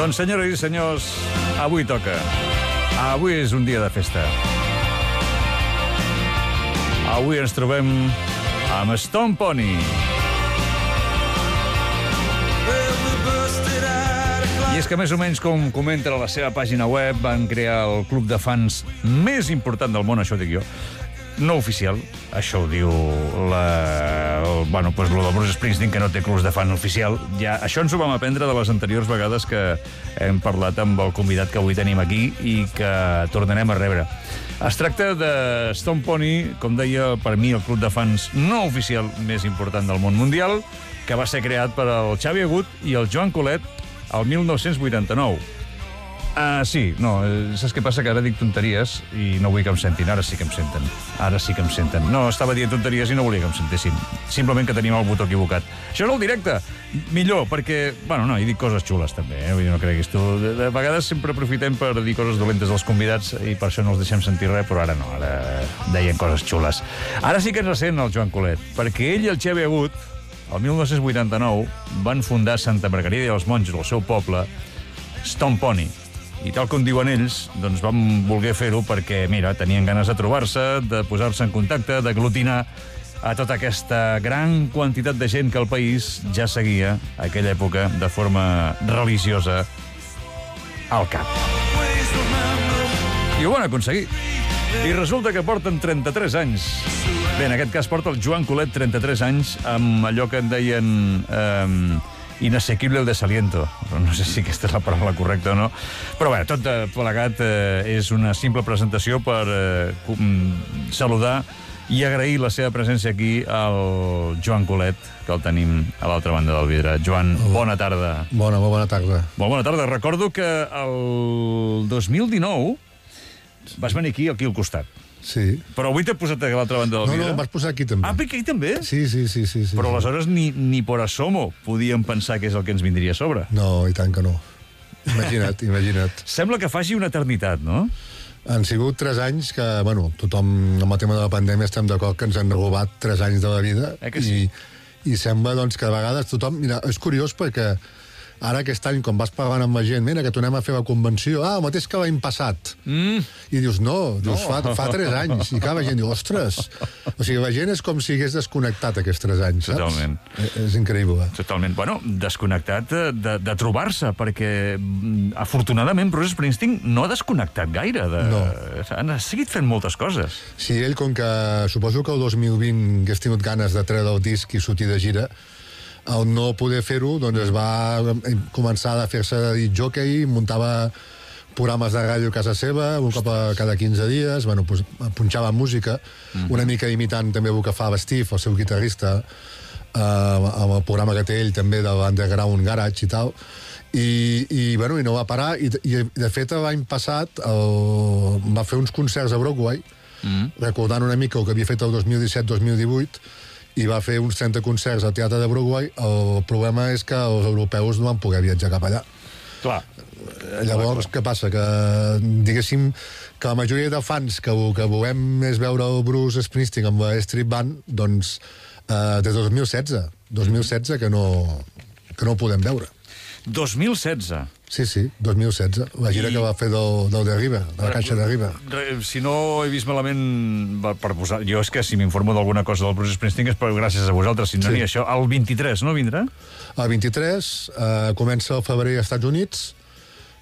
Doncs, senyores i senyors, avui toca. Avui és un dia de festa. Avui ens trobem amb Stone Pony. I és que més o menys com comenta a la seva pàgina web, van crear el club de fans més important del món, això ho dic jo. No oficial, això ho diu lo del Bruce Springsteen, que no té clubs de fan oficial. Ja, això ens ho vam aprendre de les anteriors vegades que hem parlat amb el convidat que avui tenim aquí i que tornarem a rebre. Es tracta de Stone Pony, com deia, per mi el club de fans no oficial més important del món mundial, que va ser creat per el Xavi Agut i el Joan Colet el 1989. Sí, no, saps què passa? Que ara dic tonteries i no vull que em sentin. Ara sí que em senten. Ara sí que em senten. No, estava dient tonteries i no volia que em sentessin. Simplement que tenim el botó equivocat. Això és el directe. Millor, perquè... Bueno, no, hi dic coses xules, també, Vull dir, no creguis tu. De vegades sempre aprofitem per dir coses dolentes dels convidats i per això no els deixem sentir res, però ara no, ara deien coses xules. Ara sí que ens sent el Joan Colet, perquè ell i el Xavi Agut, el 1989, van fundar Santa Margarida i els Monjos, el seu poble, Stone Pony. I tal com diuen ells, doncs vam voler fer-ho perquè, mira, tenien ganes de trobar-se, de posar-se en contacte, d'aglutinar a tota aquesta gran quantitat de gent que el país ja seguia a aquella època de forma religiosa al cap. I ho van aconseguir. I resulta que porten 33 anys. Bé, en aquest cas porta el Joan Colet 33 anys amb allò que en deien... inasequible el desaliento. No sé si aquesta és la paraula correcta o no. Però bé, tot plegat és una simple presentació per saludar i agrair la seva presència aquí al Joan Colet, que el tenim a l'altra banda del vidre. Joan, bona tarda. Molt bona tarda. Molt bona tarda. Recordo que el 2019 vas venir aquí al costat. Sí. Però avui t'he posat a l'altra banda del vidre. No, em vas posar aquí també. Ah, aquí també? Sí. Però aleshores ni por asomo podíem pensar que és el que ens vindria a sobre. No, i tant que no. Imagina't. Sembla que faci una eternitat, no? Han sigut 3 anys que, tothom, amb el tema de la pandèmia, estem d'acord que ens han robat 3 anys de la vida. Que sí? I sembla, que de vegades tothom... Mira, és curiós perquè ara aquest any, quan vas parlant amb la gent, mira, que tornem a fer la convenció, el mateix que l'any passat. I dius, no. Fa 3 anys. I clar, la gent diu, ostres. O sigui, la gent és com si hagués desconnectat aquests 3 anys, saps? Totalment. És increïble. Totalment. Bueno, desconnectat de trobar-se, perquè afortunadament Bruce Springsteen no ha desconnectat gaire. No. Ha seguit fent moltes coses. Sí, ell, com que suposo que el 2020 hagués tingut ganes de treure el disc i sortir de gira, al no poder fer-ho, doncs es va començar a fer-se de disc jockey, muntava programes de ràdio a casa seva, un cop cada 15 dies, punxava música, una mica imitant també el que fa Steve, el seu guitarrista, amb el programa que té ell també de l'Underground Garage i tal, i no va parar, i de fet l'any passat va fer uns concerts a Broadway, recordant una mica el que havia fet el 2017-2018, i va fer uns 30 concerts al Teatre de Broadway. El problema és que els europeus no van poder viatjar cap allà. Clar. Llavors, què passa? Que, diguéssim, que la majoria de fans que volem és veure el Bruce Springsteen amb la Street Band, doncs, des de 2016 que no ho podem veure. 2016? Sí, 2016. La gira que va fer del de River, de la Caixa de River. Si no he vist malament, per posar... Jo és que si m'informo d'alguna cosa del Bruce Springsteen és gràcies a vosaltres, si no n'hi ha això. El 23, no vindrà? El 23 comença el febrer als Estats Units,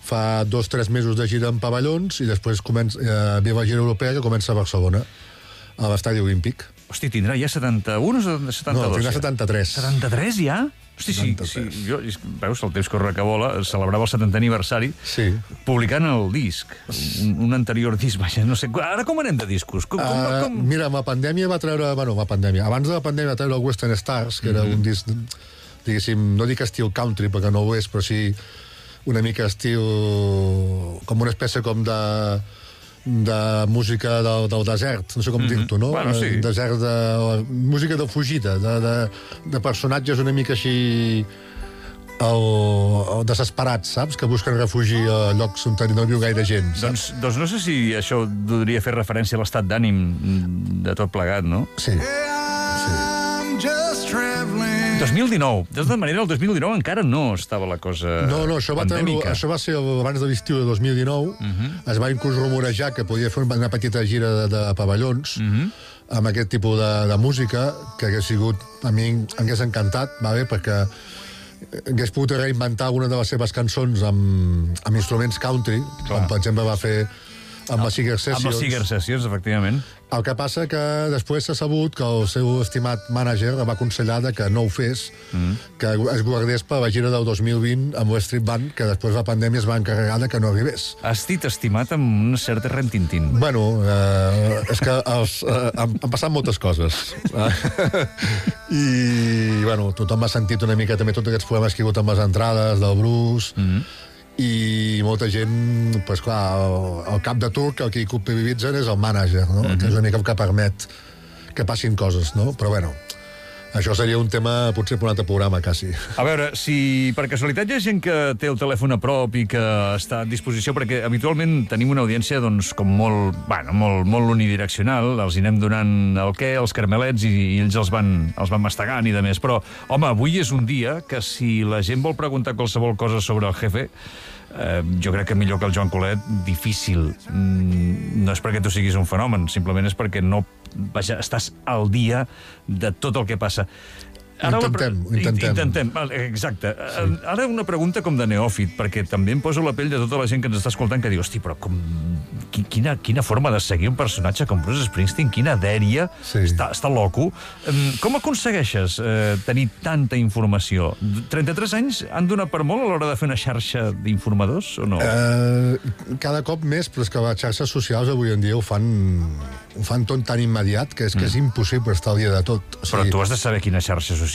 fa 2-3 mesos de gira en pavellons i després ve la gira europea que comença a Barcelona, a l'Estadi Olímpic. Hosti, tindrà ja 71 o 72? No, tindrà 73. 73 ja? Hosti, sí, jo, veus, el temps corre que vola, celebrava el 70è aniversari publicant el disc, un anterior disc, vaja, no sé, ara com anem de discos? Mira, amb la pandèmia va treure, abans de la pandèmia va treure el Western Stars, que era un disc, diguéssim, no dic estil country, perquè no ho és, però sí una mica estil, com una espècie com de música del desert, no sé com dir-t'ho, no? Desert de música de fugida, de personatges una mica així desesperats, saps? Que busquen refugi a llocs on no viu gaire gent. Doncs no sé si això podria fer referència a l'estat d'ànim de tot plegat, no? Sí. 2019. De tota manera, el 2019 encara no estava la cosa pandèmica. Això va ser abans de l'estiu de 2019. Es va inclús rumorejar que podia fer una petita gira de pavellons amb aquest tipus de música, que hagués sigut, a mi em hagués encantat, perquè hagués pogut reinventar alguna de les seves cançons amb instruments country, com per exemple va fer amb les Seeger Sessions. Amb les Seeger Sessions, efectivament. El que passa que després s'ha sabut que el seu estimat mànager va aconsellar que no ho fes, que es guardés per la gira del 2020 amb West Street Band, que després la pandèmia es va encarregar que no arribés. Has dit estimat amb una certa rentintín. Bueno, és que han passat moltes coses. I, bueno, tothom ha sentit una mica també tots aquests problemes que hi ha hagut amb les entrades del Bruce, i molta gent, doncs clar, el cap de turc, el que hi culpabilitzen és el mànager, no? Que és una mica el que permet que passin coses, no? Però bueno, això seria un tema potser per un altre programa, quasi. A veure, si per casualitat hi ha gent que té el telèfon a prop i que està a disposició, perquè habitualment tenim una audiència doncs, com molt unidireccional, els hi anem donant el què, els carmelets, i ells els van mastegant i de més. Però, home, avui és un dia que si la gent vol preguntar qualsevol cosa sobre el jefe, jo crec que millor que el Joan Colet, difícil. No és perquè tu siguis un fenomen, simplement és perquè no... Vaja, estàs al dia de tot el que passa. Intentem. Exacte. Ara una pregunta com de neòfit, perquè també em poso la pell de tota la gent que ens està escoltant que diu, hosti, però quina forma de seguir un personatge com Bruce Springsteen, quina dèria, està loco. Com aconsegueixes tenir tanta informació? 33 anys han donat per molt a l'hora de fer una xarxa d'informadors, o no? Cada cop més, però és que les xarxes socials avui en dia ho fan tot tan immediat que és impossible estar al dia de tot. Però tu has de saber quina xarxa social...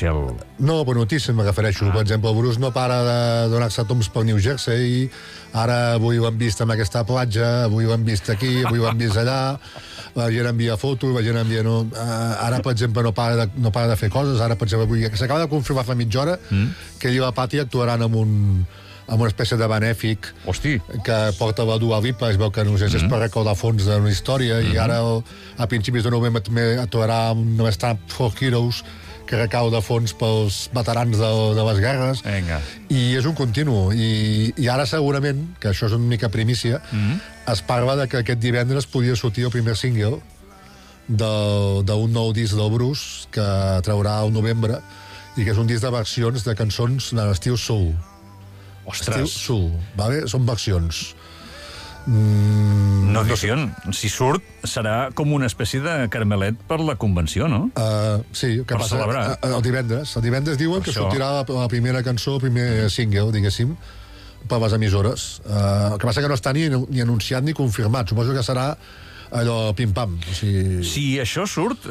No, per notícies me refereixo. Per exemple, el Bruce no para de donar-se tombs pel New Jersey, ara avui ho hem vist en aquesta platja, avui ho hem vist aquí, avui ho hem vist allà, la gent envia fotos, la gent envia... Ara, per exemple, no para de fer coses. Ara, per exemple, avui s'acaba de confirmar fa mitja hora que ell i la Patti actuaran amb una espècie de benèfic que porta la Dua Lipa, es veu que no sé si és per recaudar fons d'una història, i ara a principis de novembre també actuarà amb un Stand for Heroes que recauda fons pels veterans de les guerres. I és un continu. I ara segurament, que això és una mica primícia, es parla de que aquest divendres podia sortir el primer single d'un nou disc del Bruce que traurà al novembre, i que és un disc de versions de cançons de l'estil soul. Ostres! Estil soul, vale? Són versions. No dicien. Si surt, serà com una espècie de carmelet per la convenció, no? Sí, que passa celebrar. El divendres. El divendres diuen que sortirà la primera cançó, el primer single, diguéssim, per les emissores. El que passa que no està ni anunciat ni confirmat. Suposo que serà allò pim-pam. Si això surt,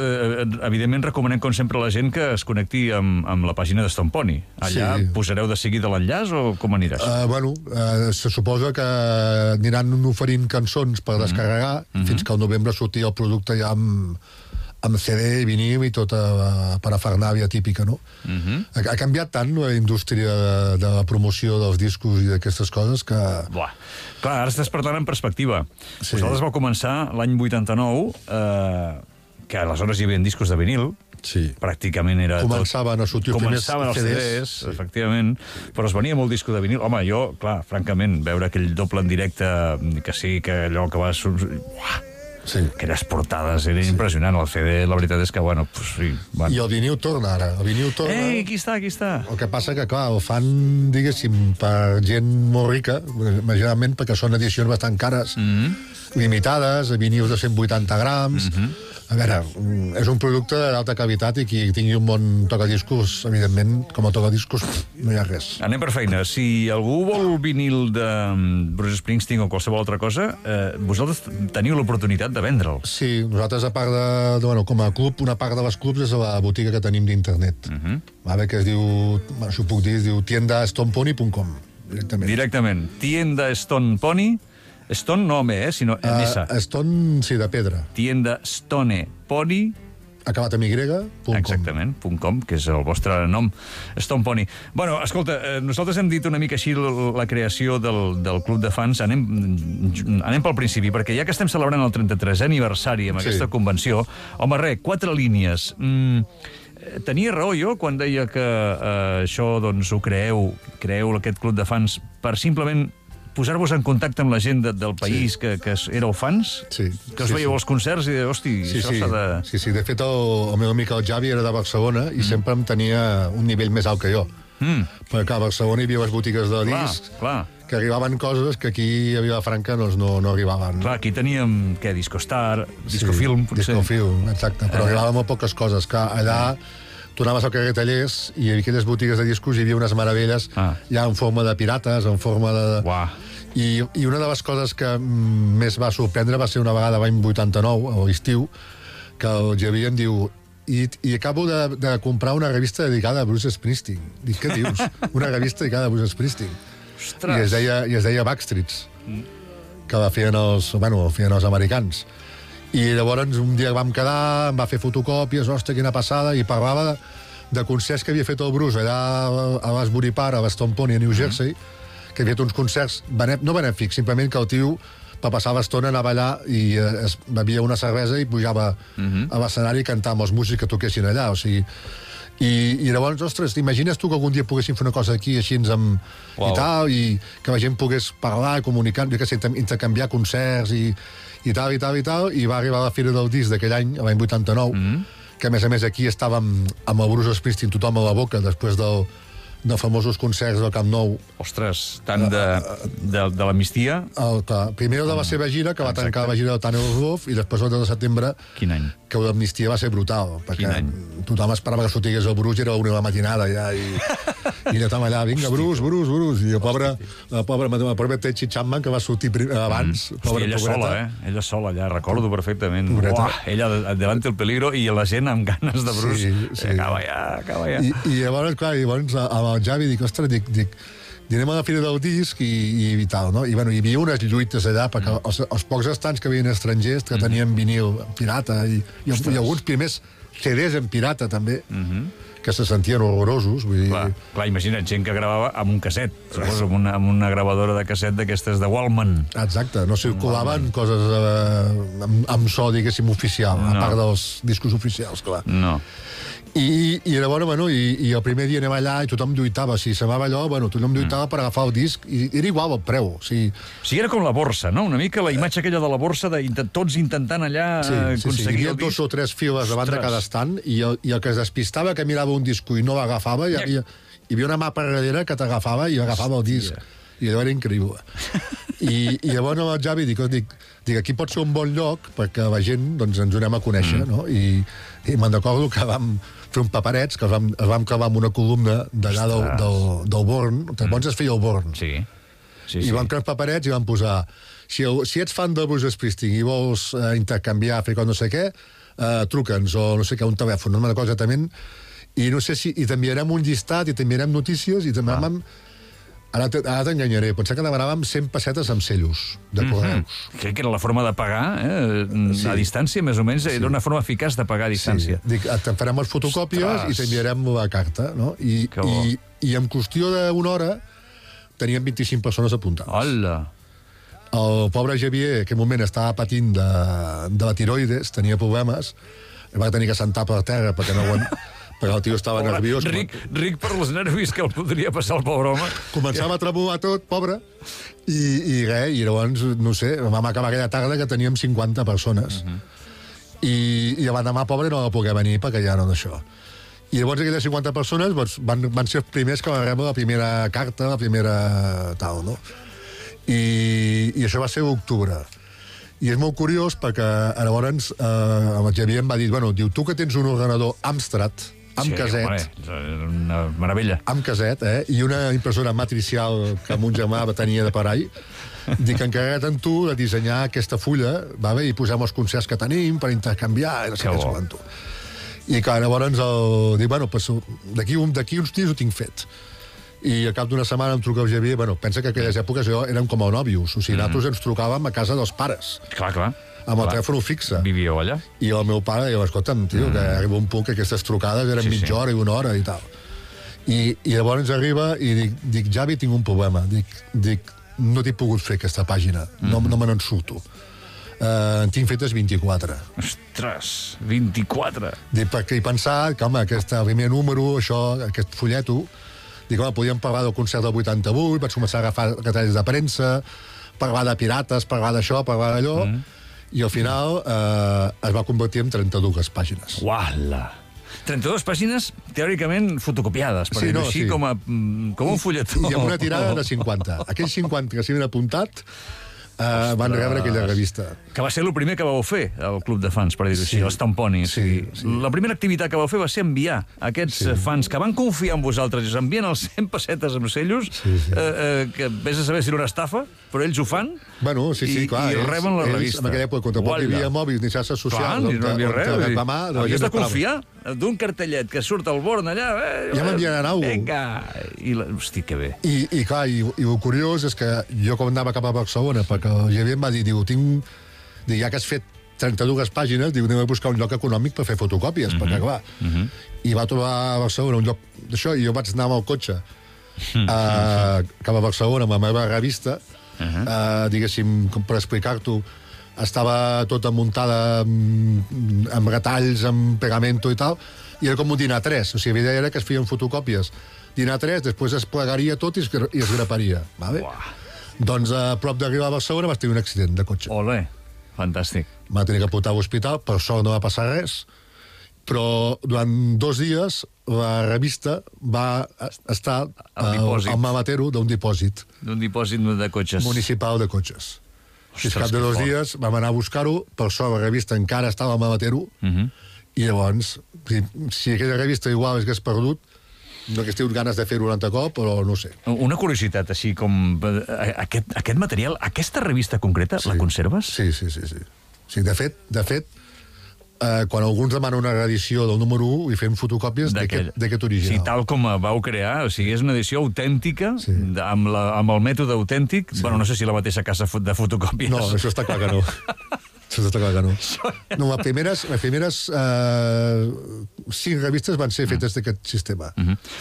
evidentment recomanem, com sempre, a la gent que es connecti amb la pàgina de Stone Pony. Allà posareu de seguida l'enllaç o com aniràs? Se suposa que aniran oferint cançons per descarregar fins que al novembre surti el producte ja amb CD i vinil i tota parafernàlia típica, no? Ha canviat tant la indústria de la promoció dels discos i d'aquestes coses que... Clar, ara estàs parlant en perspectiva. Vosaltres vau començar l'any 89, que aleshores hi havia discos de vinil, pràcticament era tot... Començaven a sortir els CDs, efectivament, però es venia molt disco de vinil. Home, jo, clar, francament, veure aquell doble en directe, que sí, que allò que va... Aquelles portades, era impressionant. El CD, la veritat és que, bueno... I el vinil torna, ara. El vinil torna... Aquí està. El que passa que, clar, el fan, diguéssim, per gent molt rica, generalment perquè són edicions bastant cares, limitades, vinils de 180 grams... A veure, és un producte d'alta qualitat i qui tingui un bon tocadiscos, evidentment, com a tocadiscos, no hi ha res. Anem per feina. Si algú vol vinil de Bruce Springsteen o qualsevol altra cosa, vosaltres teniu l'oportunitat de vendre'l. Sí, nosaltres, a part de com a club, una part de les clubs és la botiga que tenim d'internet. Que es diu, això ho puc dir, es diu tiendastonepony.com. Directament. Tienda Stone Pony. Stone no amb sinó amb S. Stone, sí, de pedra. Tienda Stone Pony. Acabat amb Y.com. Exactament, .com, que és el vostre nom, Stone Pony. Bueno, escolta, nosaltres hem dit una mica així la creació del club de fans. Anem pel principi, perquè ja que estem celebrant el 33è aniversari amb aquesta convenció, home, 4 línies. tenia raó jo quan deia que això, doncs, ho creeu aquest club de fans per simplement posar-vos en contacte amb la gent del país que éreu fans? Sí. Que us veieu als concerts i hosti, això s'ha de... Sí. De fet, el meu amic el Javi era de Barcelona i sempre em tenia un nivell més alt que jo. Perquè a Barcelona hi havia les botigues de discs que arribaven coses que aquí a Vilafranca no arribaven. Clar, aquí teníem, Discostar, Discofilm, potser. Discofilm, exacte, però arribaven molt poques coses. Que allà tu anaves al carrer Tallers i en aquelles botigues de discos hi havia unes meravelles ja en forma de pirates, en forma de... I una de les coses que més va sorprendre va ser una vegada l'any 89, a l'estiu, que el Javier em diu i acabo de comprar una revista dedicada a Bruce Springsteen. Dic, què dius? Una revista dedicada a Bruce Springsteen. Ostres! I es deia Backstreets, que la feien els americans. I llavors un dia vam quedar, em va fer fotocòpies, ostres, quina passada, i parlava de concerts que havia fet el Bruce allà a l'Asbury Park, a Stone Pony, a New Jersey, que havia fet uns concerts, no benèfics, simplement que el tio per passar l'estona anava allà i es bevia una cervesa i pujava a l'escenari i cantava amb els músics que toquessin allà, o sigui... I llavors, ostres, t'imagines tu que algun dia poguéssim fer una cosa aquí així i tal, i que la gent pogués parlar i comunicar, jo què sé, intercanviar concerts i tal, i va arribar a la Fira del Disc d'aquell any, l'any 89, que a més aquí estàvem amb el Bruce Springsteen tothom a la boca després dels famosos concerts del Camp Nou. Ostres, tant de l'amnistia... Primer de la seva gira, que va tancar la gira del Tunnel of Love, i després el 2 de setembre... Quin any? Que l'amnistia va ser brutal, perquè tothom esperava que sortigués el Bruce, era una de la matinada ja, i estàvem allà, vinga, Bruce, i el pobre Tetchy Chapman, que va sortir abans... Hòstia, ella sola allà, recordo perfectament. Ella davant el peligro i la gent amb ganes de Bruce. Acaba ja. I llavors, clar, amb el Javi dic, ostres, anem a la Fira del Disc i tal, no? I hi havia unes lluites allà, perquè els pocs estants que havien estrangers, que tenien vinil pirata, i alguns primers CDs en pirata, també, que se sentien horrorosos. Vull dir... Clar, imagina't, gent que gravava amb un casset, suposo, amb una gravadora de casset d'aquestes de Wallman. Exacte, no circulaven coses amb so, diguéssim, oficial, a part dels discos oficials, clar. No. I llavors, i el primer dia anem allà i tothom lluitava. Si semblava allò, tothom lluitava per agafar el disc i era igual el preu. O sigui, era com la borsa, no? Una mica la imatge aquella de la borsa, tots intentant allà aconseguir el disc. Hi havia 2 o 3 files davant de cada estant i el que es despistava que mirava un disco i no l'agafava, hi havia una mà per darrere que t'agafava i agafava el disc. I allò era increïble. I llavors el Javi dic, aquí pot ser un bon lloc perquè la gent ens anem a conèixer, no? I me'n recordo que vam fer un paperets, que els vam clavar amb una columna d'allà del Born, que llavors es feia el Born. I vam crear paperets i vam posar si ets fan de Bruce Springsteen i vols intercanviar, fer no sé què, truca'ns, o no sé què, un telèfon, no me'n recordo exactament, i no sé si t'enviarem un llistat i t'enviarem notícies i també vam... Ara t'enganyaré, potser que demanàvem 100 pessetes amb cellos de correus. Crec que era la forma de pagar, a distància, més o menys, era una forma eficaç de pagar a distància. Dic, te'n farem les fotocòpies i t'enviarem la carta, no? I en qüestió d'una hora teníem 25 persones apuntades. Hola! El pobre Javier, en aquell moment estava patint de la tiroides, tenia problemes, va tenir que sentar per terra perquè no perquè el tio estava nerviós. Ric per els nervis que el podria passar el pobre home. Començava a tremolar tot, pobre, i llavors, no sé, vam acabar aquella tarda que teníem 50 persones. I l'endemà, pobre, no va poder venir perquè ja no d'això. I llavors aquelles 50 persones van ser els primers que van rebre la primera carta, la primera tal, no? I això va ser l'octubre. I és molt curiós perquè llavors el Javier em va dir, diu, tu que tens un ordenador Amstrad, amb caset. Una meravella. Amb caset, i una impressora matricial que mon germà tenia de parall, dic, encarrega't en tu de dissenyar aquesta fulla, i posem els concerts que tenim per intercanviar, no sé què sabent tu. I clar, llavors dic, d'aquí uns dies ho tinc fet. I al cap d'una setmana em truca el Javier, pensa que aquelles èpoques érem com a nòvios, o sigui, nosaltres ens trucàvem a casa dels pares. Clar. Amb el telèfon fixe. Vivíeu allà? I el meu pare diu, escolta'm, tio, que arriba un punt que aquestes trucades eren mitja hora i una hora i tal. I llavors arriba i dic, Javi, tinc un problema. Dic, no t'he pogut fer aquesta pàgina, no me n'en surto. en tinc fetes 24. Ostres, 24! Perquè he pensat que, home, aquest primer número, aquest fulleto, dic, home, podíem parlar del concert del 88, vaig començar a agafar retalls de premsa, parlar de pirates, parlar d'això, parlar d'allò, i al final es va convertir en 32 pàgines. Uala! 32 pàgines, teòricament, fotocopiades, per dir-ho així, com un fulletó. I amb una tirada de 50. Aquells 50 que s'hi havien apuntat van rebre aquella revista. Que va ser el primer que vau fer, el Club de Fans, per dir-ho així, els tamponis. Sí. La primera activitat que vau fer va ser enviar aquests fans que van confiar en vosaltres i us envien els 100 pessetes amb cellos, que vés a saber si era una estafa, però ells ho fan, bueno, clar, i reben la revista. En aquella època, quan tampoc hi havia mòbils ni xarxes socials, no hi havia res. Havies de confiar d'un cartellet que surt al Born allà... Ja m'enviaran alguna cosa. Vinga! Hosti, que bé. I clar, i el curiós és que jo quan anava cap a Barcelona, perquè el Javier em va dir, ja que has fet 32 pàgines, anem a buscar un lloc econòmic per fer fotocòpies, perquè clar... I va trobar a Barcelona un lloc d'això, i jo vaig anar amb el cotxe cap a Barcelona amb la meva revista, diguéssim, per explicar-t'ho, estava tota muntada amb retalls, amb pegamento i tal, i era com un dinar 3, o sigui, la idea era que es feien fotocòpies dinar 3, després es plegaria tot i es graparia, vale? Doncs a prop d'arribar a Barcelona vas tenir un accident de cotxe. Olé, fantàstic. Va tenir que portar a l'hospital, per sort no va passar res, però durant 2 dies la revista va estar al mamatero d'un dipòsit. D'un dipòsit de cotxes. Municipal de cotxes. Ostres, al cap de 2 dies vam anar a buscar-ho, per sort la revista encara estava al mamatero, i llavors, si aquella revista igual es hagués perdut, no hagués tingut ganes de fer-ho un altre cop, però no sé. Una curiositat, així com... Aquest material, aquesta revista concreta, la conserves? Sí. De fet, quan alguns demanen una reedició del número 1 i fem fotocòpies d'aquest original. Sí, tal com vau crear, o sigui, és una edició autèntica, amb el mètode autèntic. Bueno, no sé si la mateixa casa de fotocòpies. No, això està clar que no. Això està clar que no. No, les primeres 5 revistes van ser fetes d'aquest sistema.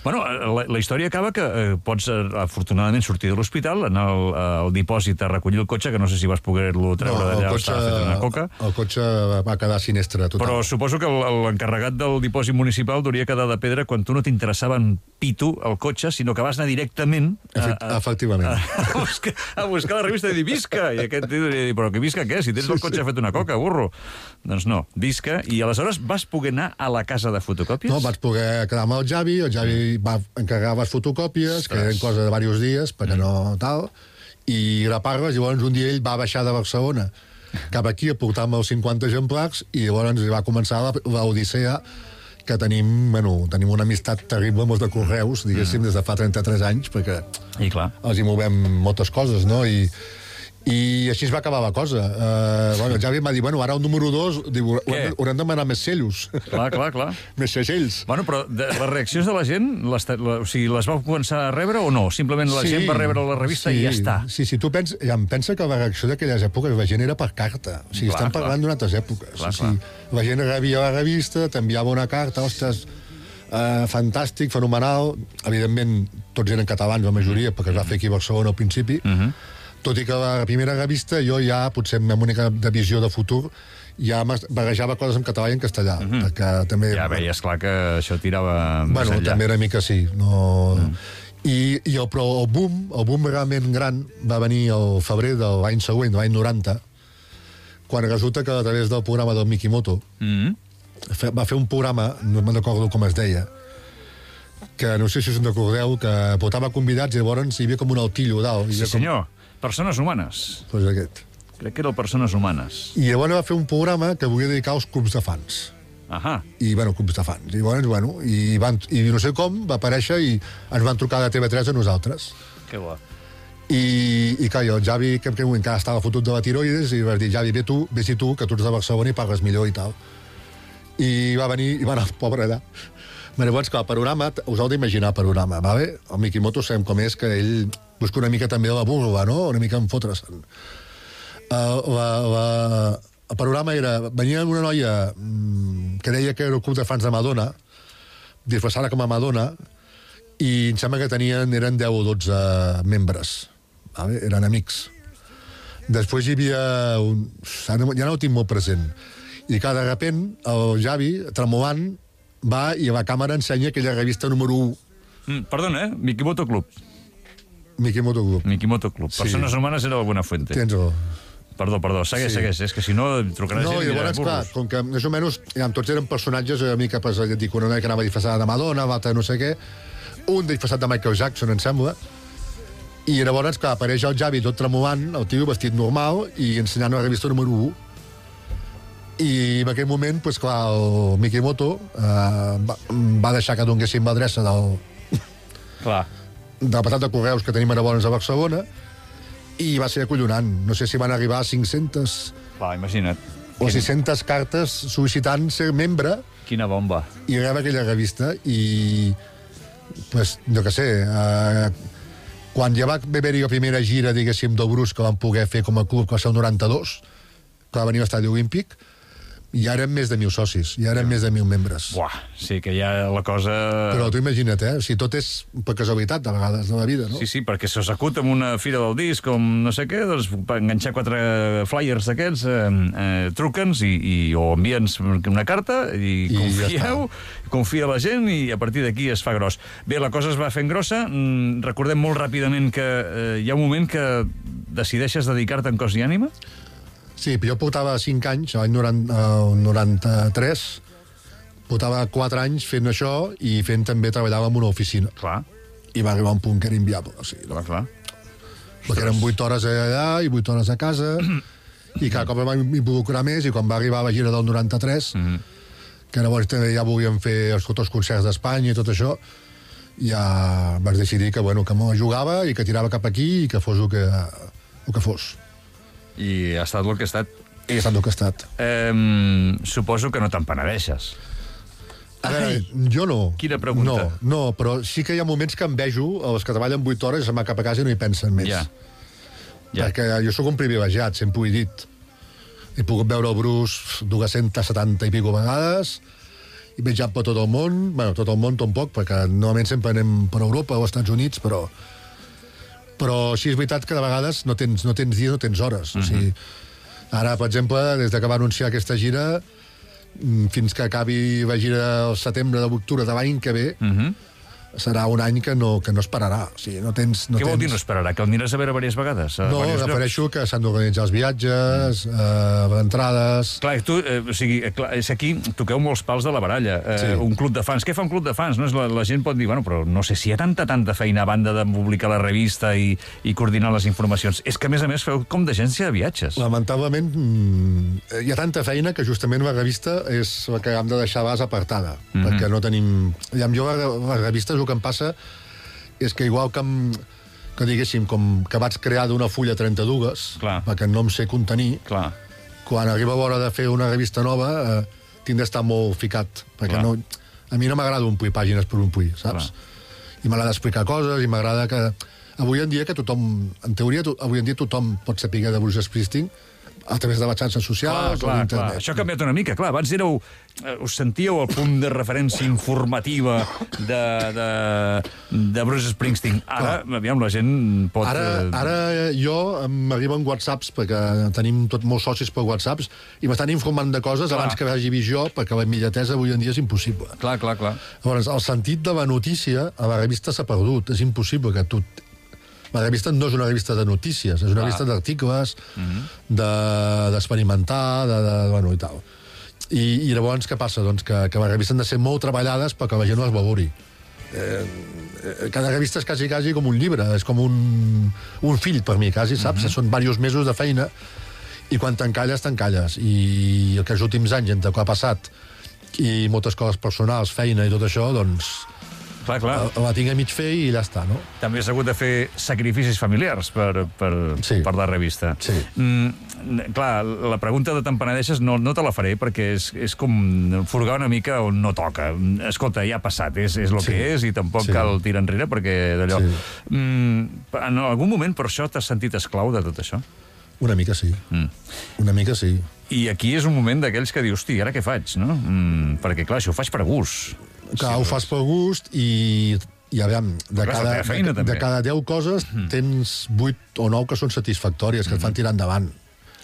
Bueno, la història acaba que pots, afortunadament, sortir de l'hospital, anar al dipòsit a recollir el cotxe, que no sé si vas poder-lo treure d'allà, estava fet una coca. El cotxe va quedar sinistre, total. Però suposo que l'encarregat del dipòsit municipal hauria quedat de pedra quan tu no t'interessava en pitu el cotxe, sinó que vas anar directament efectivament a buscar la revista i dir, visca! I aquest tio diria, però que visca què? Si tens el cotxe fet una coca, burro. Doncs no, visca. I aleshores vas poder anar a la casa de fotocòpies? No, vaig poder quedar amb el Javi va encarregar les fotocòpies, que eren cosa de diversos dies, perquè no tal, i grapar-les, llavors un dia ell va baixar de Barcelona cap aquí a portar-me els 50 exemplars, i llavors va començar l'odissea, que tenim una amistat terrible amb els de Correus, diguéssim, des de fa 33 anys, perquè els hi movem moltes coses, no? I així es va acabar la cosa. El Javi em va dir, ara el número 2, haurem de demanar més cellos. Clar. Més segells. Bueno, però les reaccions de la gent, o sigui, les vau començar a rebre o no? Simplement la gent va rebre la revista i ja està. Sí, tu pensa que la reacció d'aquelles èpoques la gent era per carta. O sigui, estem parlant d'unes altres èpoques. La gent rebia la revista, t'enviava una carta, ostres, fantàstic, fenomenal. Evidentment, tots eren catalans, la majoria, perquè es va fer aquí a Barcelona al principi. Tot i que la primera revista jo ja, potser amb una visió de futur, ja barrejava coses en català i en castellà. Perquè també... Ja veies clar que això tirava més enllà. També era mica sí. Però el boom realment gran va venir al febrer de l'any següent, l'any 90, quan resulta que a través del programa del Mikimoto va fer un programa, no me'n recordo com es deia, que no sé si us en recordeu, que portava convidats i llavors hi havia com un altillo dalt. Sí, senyor. Persones humanes. Doncs aquest. Crec que era Persones humanes. I llavors va fer un programa que volia dedicar als clubs de fans. I, clubs de fans. I llavors, i no sé com, va aparèixer i ens van trucar de TV3 a nosaltres. Que bo. I clar, el Javi, que encara estava fotut de la tiroides, i va dir, Javi, vés-hi tu, que tu ets de Barcelona i parles millor i tal. I va venir, i va anar, pobre allà. Llavors, clar, el panorama, us heu d'imaginar el panorama, vale? El Mikimoto sabem com és, que ell busca una mica també la burla, no? Una mica en fotre-se'n. El panorama era... Venia una noia que deia que era el club de fans de Madonna, disfressada com a Madonna, i em sembla que eren 10 o 12 membres. Vale? Eren amics. Després hi havia ja no ho tinc molt present. I clar, de repent, el Javi, tremolant, va i a la càmera ensenya aquella revista número 1. Perdona, Mikimoto Club. Mikimoto Club. Mikimoto Club. Sí. Persones humanes era la Buenafuente. Tens raó. Perdó, segueix, és que si no trucarà No, gent i i dirà llavors, clar, burros. com que més o menys tots eren personatges una mica, pues, dic, una que anava disfressada de Madonna, l'altre no sé què, un disfressat de Michael Jackson, em sembla, i llavors, clar, apareix el Javi tot tremolant, el tio vestit normal, i ensenyant la revista número 1. I en aquell moment, pues, clar, el Mikimoto va deixar que donéssim l'adreça del passat de correus que tenim llavors a Barcelona, i va ser acollonant. No sé si van arribar a 500 Clar, imagina't. o 600 cartes sol·licitant ser membre Quina bomba. i rebre aquella revista. I, pues, jo què sé, quan ja va haver-hi la primera gira, diguéssim, del Brus que van poder fer com a club, que va ser el 92, que va venir a l'estadi olímpic, i ara més de 1.000 socis, i ara més de 1.000 membres. Buah, sí que ja la cosa... Però tu imagina't, o sigui, tot és per casualitat, de vegades, de la vida, no? Sí, perquè se s'acut amb una fira del disc, com no sé què, doncs per enganxar 4 flyers d'aquests, truca'ns o envia'ns una carta i confieu, confia la gent i a partir d'aquí es fa gros. Bé, la cosa es va fent grossa. Recordem molt ràpidament que hi ha un moment que decideixes dedicar-te en cos i ànima? Sí, jo portava 5 anys, l'any 93, portava 4 anys fent això i fent també treballava en una oficina. Clar. I va arribar un punt que era inviable. O sigui, Clar. perquè eren 8 hores allà i 8 hores a casa, i cada cop em va involucrar més, i quan va arribar la gira del 93, que llavors ja volíem fer tots els concerts d'Espanya i tot això, ja vaig decidir que, bueno, que me jugava i que tirava cap aquí i que fos el que fos. I ha estat el que ha estat. I ha estat el que ha estat. Suposo que no te'n penedeixes. A veure, jo no. Quina pregunta. No, però sí que hi ha moments que em vejo els que treballen 8 hores i se'n va cap a casa i no hi pensen més. Ja. Perquè jo sóc un privilegiat, sempre ho he dit. He pogut veure el Bruce 270 i pico vegades, he viatjat per tot el món, bueno, tot el món tampoc, perquè normalment sempre anem per Europa o als Estats Units, però sí és veritat que de vegades no tens dies, no tens hores. O sigui, ara, per exemple, des que va anunciar aquesta gira, fins que acabi la gira al setembre d'octubre de l'any que ve, serà un any que no es pararà. O sigui, no tens... Què vol dir no esperarà? Que el aniràs a veure diverses vegades? No, refereixo que s'han d'organitzar els viatges, les entrades... Clar, tu, o sigui, és aquí toqueu molts pals de la baralla. Un club de fans. Què fa un club de fans? No? La gent pot dir, bueno, però no sé si hi ha tanta feina a banda de publicar la revista i coordinar les informacions. És que, a més, feu com d'agència de viatges. Lamentablement, hi ha tanta feina que justament la revista és la que hem de deixar a base apartada, perquè no tenim... Jo, la revista, el que em passa és que igual que diguéssim, com que vaig crear d'una fulla 32, perquè no em sé contenir, quan arriba l'hora de fer una revista nova tinc d'estar molt ficat, perquè a mi no m'agrada omplir pàgines per omplir, saps? I m'agrada explicar coses, i m'agrada que... Avui en dia que tothom, en teoria, avui en dia tothom pot saber de Bruce Springsteen a través de les xarxes socials o d'internet. Això ha canviat una mica, clar. Abans us sentíeu al punt de referència informativa de Bruce Springsteen. Ara, aviam, la gent pot... Ara jo m'arriben whatsapps, perquè tenim molts socis per whatsapps, i m'estan informant de coses abans que vagi vist jo, perquè la immediatesa avui en dia és impossible. Clar. Llavors, el sentit de la notícia a la revista s'ha perdut. És impossible que tu... La revista no és una revista de notícies, és una revista d'articles, d'experimentar, bueno, i tal. I llavors què passa? Doncs que les revistes han de ser molt treballades perquè la gent no les valori. Cada revista és quasi com un llibre, és com un fill per mi, quasi, saps? Són diversos mesos de feina i quan t'encalles. I aquests últims anys, entre el que ha passat i moltes coses personals, feina i tot això, doncs... Clar. La tinc a mig fer i ja està, no? També has hagut de fer sacrificis familiars per la revista. Sí. Clar, la pregunta de te'n penedeixes no te la faré perquè és com furgar una mica on no toca. Escolta, ja ha passat, és el que és i tampoc cal tirar enrere perquè d'allò... En algun moment per això t'has sentit esclau de tot això? Una mica sí. Una mica sí. I aquí és un moment d'aquells que dius, hosti, ara què faig, no? Perquè, clar, això ho faig per gust. Clar, ho fas per gust i I aviam, de cada 10 coses tens 8 o 9 que són satisfactòries, que et fan tirar endavant.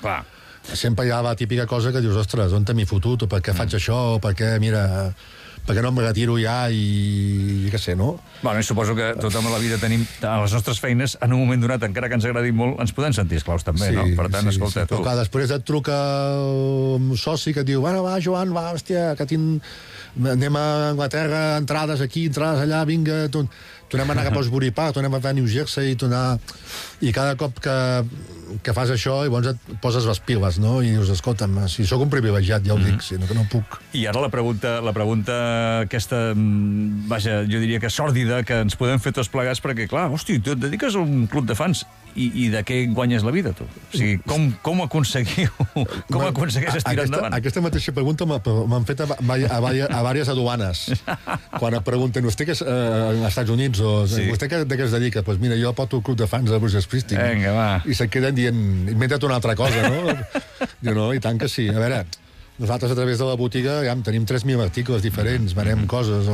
Clar. Sempre hi ha la típica cosa que dius, ostres, on m'he fotut, o per què faig això, o per què, mira, per què no em retiro ja i què sé, no? Bueno, i suposo que tothom a la vida tenim, a les nostres feines, en un moment donat, encara que ens agradi molt, ens podem sentir esclaus també, no? Per tant, escolta, tu... Però clar, després et truca un soci que et diu, bueno, va, Joan, va, hòstia, que anem a Anglaterra, entrades aquí, entrades allà, vinga, tornem a anar cap a Osbury Park, tornem a anar a New Jersey, i cada cop que fas això, llavors et poses les piles, no? I dius, escolta'm, si sóc un privilegiat, ja ho dic, sinó que no puc. I ara la pregunta aquesta, vaja, jo diria que sòrdida, que ens podem fer tots plegats, perquè, clar, hosti, tu et dediques a un club de fans, i de què guanyes la vida, tu? O sigui, com aconsegueixes tirar endavant? Aquesta mateixa pregunta m'han fet a diverses aduanes. Quan et pregunten, vostè que és als Estats Units, o vostè de què es dedica? Doncs mira, jo porto el club de fans de Bruce Springsteen. Vinga, va. I se't queden dient, inventa't una altra cosa, no? Diu, no, i tant que sí. A veure, nosaltres a través de la botiga tenim 3.000 articles diferents, venem coses,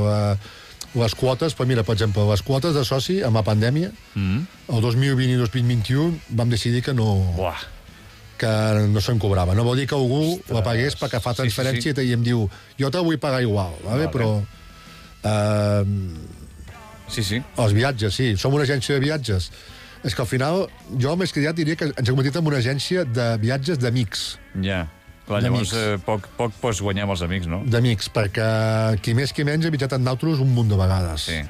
les quotes, però mira, per exemple, les quotes de soci amb la pandèmia, el 2020 i 2021 vam decidir que no se'n cobrava. No vol dir que algú la pagués perquè fa transferència i em diu, jo te vull pagar igual, però... Els viatges, sí. Som una agència de viatges. És que al final, jo més que ja diria que ens hem convertit en una agència de viatges d'amics. Ja. Clar, llavors poc pots guanyar amb els amics, no? D'amics, perquè qui més qui menys ha viatjat amb nosaltres un munt de vegades. Sí.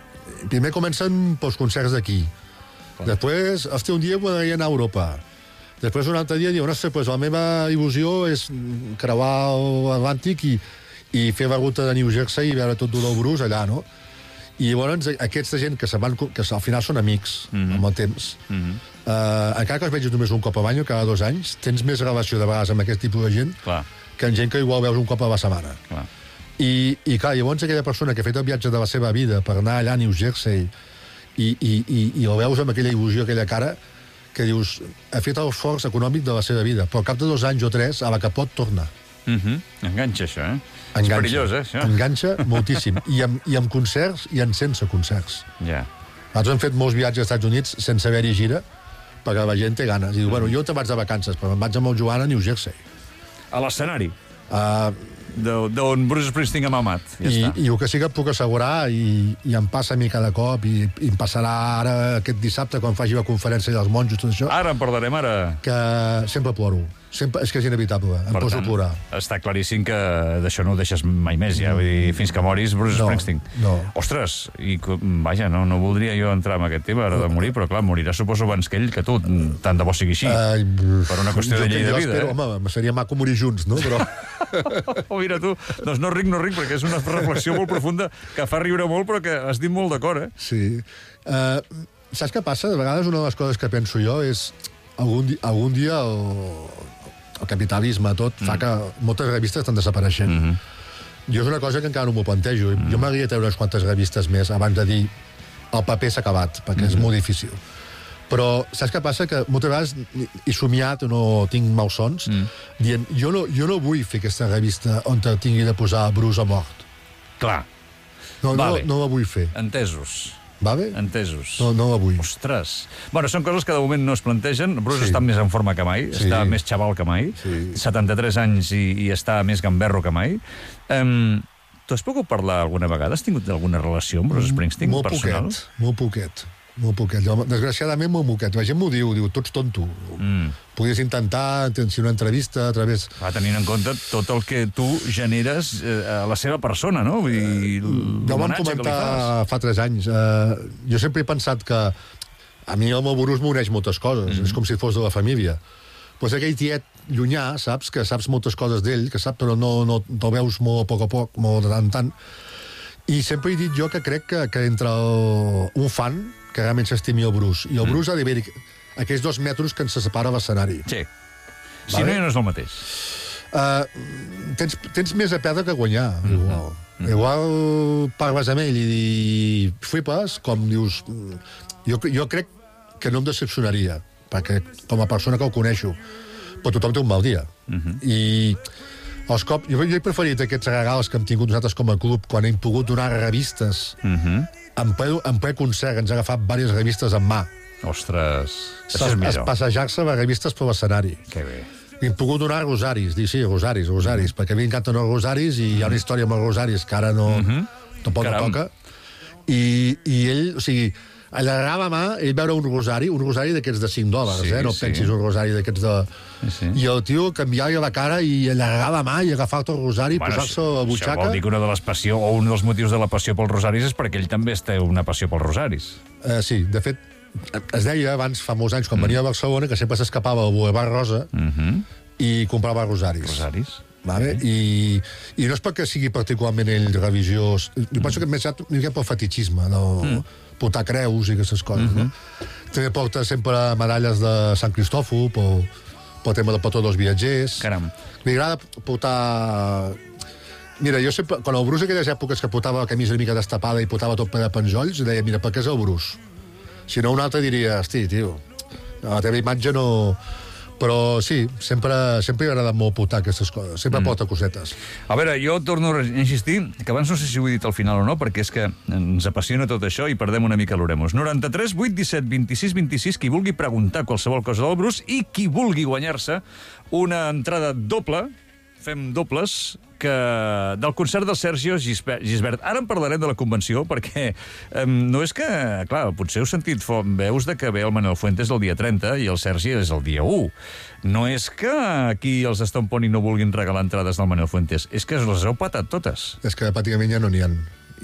Primer comencen pels concerts d'aquí. Després, un dia m'agradaria anar a Europa. Després, un altre dia, diuen, pues, la meva il·lusió és creuar l'Atlàntic i fer la ruta de New Jersey i veure tot del Bruce allà, no? I llavors aquesta gent que al final són amics amb el temps, encara que els vegis només un cop a l'any o cada 2 anys, tens més relació de vegades amb aquest tipus de gent que amb gent que igual veus un cop a la setmana. I clar, llavors aquella persona que ha fet el viatge de la seva vida per anar allà a New Jersey i el veus amb aquella il·lusió, aquella cara, que dius, ha fet el esforç econòmic de la seva vida, però al cap de 2 anys o 3, a la que pot, torna. Enganxa, això, És perillós, això. Enganxa moltíssim. I amb concerts i sense concerts. Nosaltres hem fet molts viatges als Estats Units sense haver-hi gira, perquè la gent té ganes. I diu, bueno, jo te vaig de vacances, però me'n vaig amb el Joan a New Jersey. A l'escenari? D'on Bruce Springsteen ha mamat. I el que sí que et puc assegurar, i em passa a mi cada cop, i em passarà ara aquest dissabte, quan faci la conferència dels monjos, tot això... Ara en parlarem, ara. Que sempre ploro. És que és inevitable, em poso a plorar. Està claríssim que d'això no ho deixes mai més, ja. Vull dir, fins que moris, Bruce Springsteen. No. Ostres, i vaja, no voldria jo entrar en aquest tema ara de morir, però clar, morirà suposo abans que ell, que tu, tant de bo sigui així. Per una qüestió de llei de vida. Home, seria maco morir junts, no? Però... Mira tu, doncs no ric, perquè és una reflexió molt profunda que fa riure molt, però que has dit molt d'acord, Sí. Saps què passa? De vegades una de les coses que penso jo és algun dia el capitalisme tot fa que moltes revistes estan desapareixent. Jo és una cosa que encara no m'ho plantejo. Jo m'hauria de treure unes quantes revistes més abans de dir el paper s'ha acabat, perquè és molt difícil. Però saps què passa? Que moltes vegades he somiat, no tinc malsons, dient, jo no vull fer aquesta revista on tingui de posar Bruce a mort. Clar. No la vull fer. Entesos. Va bé? Entesos. No la vull. Ostres. Bueno, són coses que de moment no es plantegen. Bruce està més en forma que mai, està més xaval que mai, 73 anys i està més gamberro que mai. Tu has pogut parlar alguna vegada? Has tingut alguna relació amb Bruce Springsteen personal? Molt poquet. Desgraciadament, molt poquet. La gent m'ho diu, tu ets tonto. Podries intentar si una entrevista a través... Tenint en compte tot el que tu generes a la seva persona, no? Jo vam comentar fa 3 anys. Jo sempre he pensat que a mi el meu Bruce m'uneix moltes coses. És com si fos de la família. Pues aquell tiet llunyà, saps? Que saps moltes coses d'ell, que saps, però no te'l veus molt a poc, molt de tant en tant. I sempre he dit jo que crec que entre un fan que realment s'estimi el Bruce i el Bruce ha d'haver aquells 2 metres que ens separa l'escenari. Sí. Si no, ja no és el mateix. Tens més a perdre que a guanyar, igual. Igual parles amb ell i flipes, com dius... Jo crec que no em decepcionaria, perquè com a persona que el coneixo, però tothom té un mal dia. I Jo he preferit aquests regals que hem tingut nosaltres com a club quan hem pogut donar revistes en ple concert. Ens ha agafat diverses revistes en mà. Ostres, això és millor. Passejar-se a revistes per l'escenari. Que bé. Hem pogut donar rosaris, rosaris, perquè a mi m'encanten els rosaris i hi ha una història amb els rosaris que ara tampoc no toca. I ell, o sigui, allargava mà, ell veure un rosari d'aquests de $5, no pensis un rosari d'aquests de... I el tio canviava la cara i allargava mà i agafava el rosari i posar-se a la butxaca. Això vol dir que una de les passió, o un dels motius de la passió pels rosaris és perquè ell també té una passió pels rosaris. Sí, de fet, es deia abans, fa molts anys, quan venia a Barcelona, que sempre s'escapava al Boulevard Rosa i comprava rosaris. Rosaris. Vale? I no és perquè sigui particularment ell religiós. Jo penso que més una mica pel fetichisme, portar creus i aquestes coses. No? També porta sempre medalles de Sant Cristòfol pel tema del patró dels viatgers. Caram. Li agrada portar... Mira, jo sempre, quan el Bruce, aquelles èpoques que portava la camisa una mica destapada i portava tot ple de penjolls, deia, mira, per què és el Bruce? Si no, un altre diria, hosti, tio, la teva imatge no... Però sí, sempre li ha agradat molt portar aquestes coses. Sempre porta cosetes. A veure, jo torno a insistir, que abans no sé si ho he dit al final o no, perquè és que ens apassiona tot això i perdem una mica l'Oremus. 93 8 17 26 26, qui vulgui preguntar qualsevol cosa del Bruce i qui vulgui guanyar-se una entrada doble, fem dobles, del concert del Sergio Gisbert. Ara en parlarem de la convenció, perquè no és que... Clar, potser heu sentit veus de que ve el Manuel Fuentes el dia 30 i el Sergi és el dia 1. No és que aquí els Stone Pony no vulguin regalar entrades del Manuel Fuentes, és que les heu patat totes. És que pràcticament ja no n'hi ha.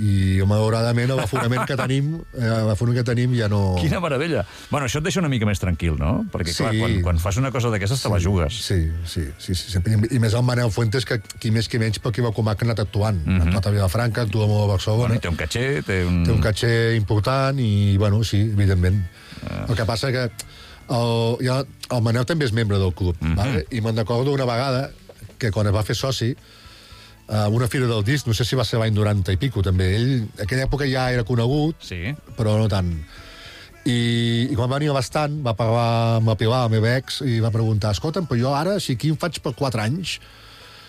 I, malauradament, l'aforament que tenim ja no... Quina meravella! Bueno, això et deixa una mica més tranquil, no? Perquè, clar, quan fas una cosa d'aquestes te la jugues. Sí. Sempre. I més el Manel Fuentes, que qui més qui menys, perquè va com ha anat actuant. Ha actuat a Vilafranca, actua molt a Barcelona. Bueno, té un caché, té un caché important i, bueno, sí, evidentment. El que passa que el Manel també és membre del club, vale? I me'n recordo una vegada que quan es va fer soci, una fira del disc, no sé si va ser l'any 90 i pico, també. Ell, en aquella època ja era conegut, però no tant. I quan va venir a l'estand, va parlar amb la Pilar, la meva ex, i va preguntar, escolta'm, però jo ara, si aquí em faig per 4 anys,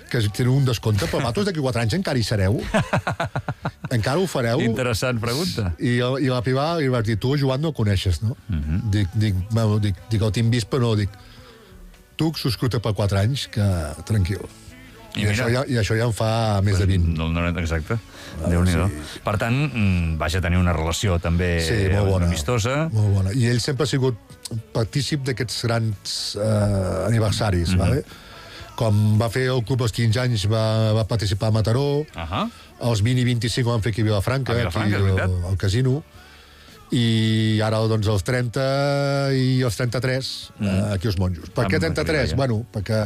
que teniu un descompte, però vosaltres d'aquí 4 anys encara hi sereu? Encara ho fareu? Interessant pregunta. I la Pilar li va dir, tu Joan no el coneixes, no? Dic, el tinc vist, però no, dic, tu subscrita per 4 anys, que tranquil. I això ja en fa més de 20. Exacte. Déu-n'hi-do. Per tant, vaja tenir una relació també amistosa. Molt bona. I ell sempre ha sigut partícip d'aquests grans aniversaris, vale? Com va fer el club als 15 anys, va participar a Mataró, els 20 i 25 van fer aquí a Vilafranca, al casino, i ara doncs els 30 i els 33 aquí als Monjos. Per què 33? Bueno, perquè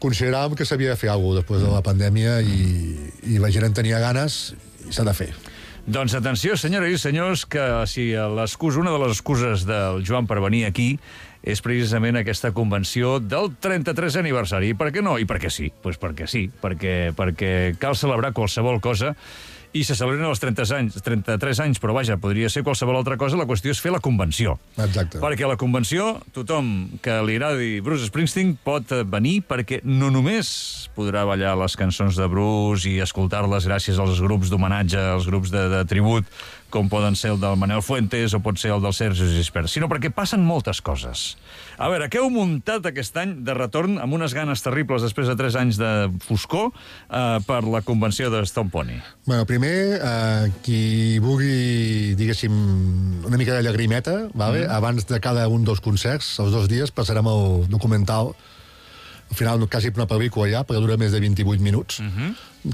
consideràvem que s'havia de fer alguna cosa després de la pandèmia i la gent en tenia ganes i s'ha de fer. Doncs atenció, senyores i senyors, que si una de les excuses del Joan per venir aquí és precisament aquesta convenció del 33 aniversari. I per què no? I per què sí? Doncs perquè sí, perquè cal celebrar qualsevol cosa i se celebren els 33 anys, però vaja, podria ser qualsevol altra cosa, la qüestió és fer la convenció. Exacte. Perquè a la convenció, tothom que li agradi Bruce Springsteen pot venir perquè no només podrà ballar les cançons de Bruce i escoltar-les gràcies als grups d'homenatge, als grups de tribut, com poden ser el del Manuel Fuentes o pot ser el del Sergio Gisbert, sinó perquè passen moltes coses. A veure, què heu muntat aquest any de retorn amb unes ganes terribles després de 3 anys de foscor per la convenció de Stone Pony? Bueno, primer, qui vulgui, diguéssim, una mica de llagrimeta, vale? Abans de cada un dels concerts, els 2 dies, passarem el documental, al final quasi una pel·lícula ja, perquè dura més de 28 minuts,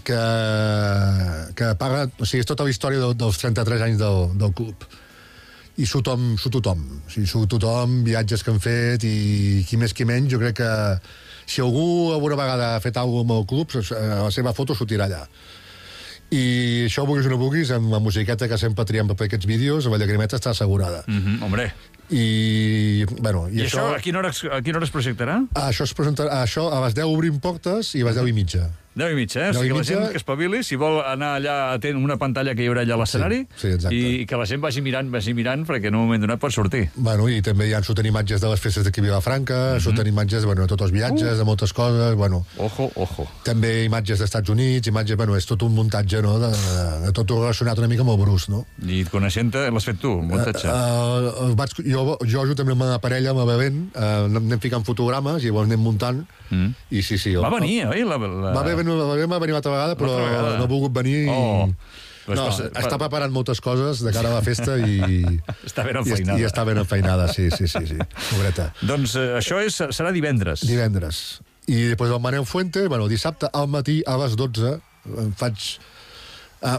que parla, o sigui, és tota la història dels 33 anys del club. I surt tothom. O sigui, surt tothom, viatges que han fet, i qui més qui menys, jo crec que si algú alguna vegada ha fet alguna cosa amb el club, la seva foto sortirà allà. I això, vulguis o no vulguis, amb la musiqueta que sempre triem per aquests vídeos, la llagrimeta està assegurada. Hombre. I això a quina hora es projectarà? Això a les 10 obrim portes i a les 10 i mitja. 10:30, 10:30. O sigui, que la gent que espavili, si vol anar allà atent una pantalla que hi haurà allà a l'escenari, Sí, exacte. i que la gent vagi mirant, perquè en un moment donat pot sortir. Bueno, i també hi surten imatges de les festes d'aquí a Vilafranca, surten imatges, bueno, de tots els viatges, de moltes coses, bueno... Ojo. També imatges dels Estats Units, imatges, bueno, és tot un muntatge, no?, de tot relacionat una mica amb el Bruce, no? I coneixent-te, l'has fet tu, un muntatge? Jo juntament amb la parella, amb el bebent, anem ficant fotogrames i llavors anem muntant, i sí. Va venir, oi? Va venir una altra vegada, però no ha volgut venir. Està preparant moltes coses de cara a la festa i... Està ben enfeinada. I està ben enfeinada, sí. Pobreta. Doncs això serà divendres. Divendres. I després el Manel Fuentes, dissabte al matí a les 12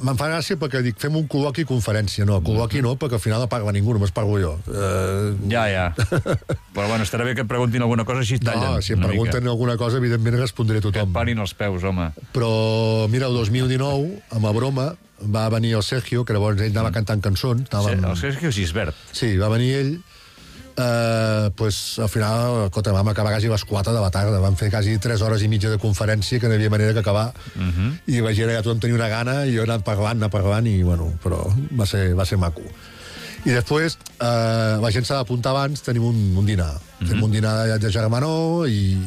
me'n fa gràcia perquè dic, fem un col·loqui i conferència. No, col·loqui no, perquè al final no parla ningú, només parlo jo. Ja. Però bueno, estarà bé que et preguntin alguna cosa, així tallen. No, si em pregunten alguna cosa, evidentment respondré a tothom. Que et parin els peus, home. Però, mira, el 2019, amb la broma, va venir el Sergio, que llavors ell anava cantant cançons. El Sergio Gisbert. Sí, va venir ell. Al final, vam acabar quasi a les 4 de la tarda. Vam fer quasi 3 hores i mitja de conferència, que no hi havia manera d'acabar. I la gent ja tothom tenia una gana, i jo he anat parlant, i bueno, però va ser maco. I després, la gent s'ha d'apuntar abans, tenim un dinar. Fem un dinar de germanor i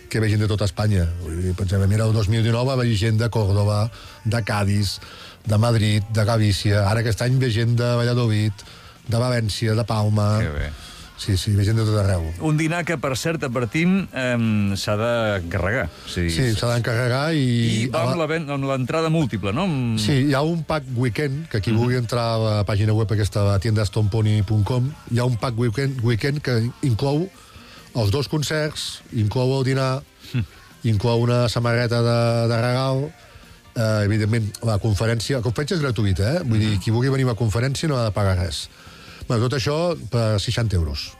que ve gent de tota Espanya. Pensem, mira, el 2019 va haver gent de Córdoba, de Cádiz, de Madrid, de Galícia. Ara aquest any ve gent de Valladolid, de València, de Palma... Que bé. Sí, ve gent de tot arreu. Un dinar que, per cert, advertim, s'ha d'encarregar. Sí, s'ha d'encarregar i... I amb l'entrada múltiple, no? Sí, hi ha un pack weekend, que qui vulgui entrar a la pàgina web aquesta, a tiendastomponi.com, hi ha un pack weekend que inclou els 2 concerts, inclou el dinar, inclou una samarreta de regal, evidentment, la conferència és gratuïta, Vull dir, qui vulgui venir a la conferència no ha de pagar res. Tot això per 60 euros.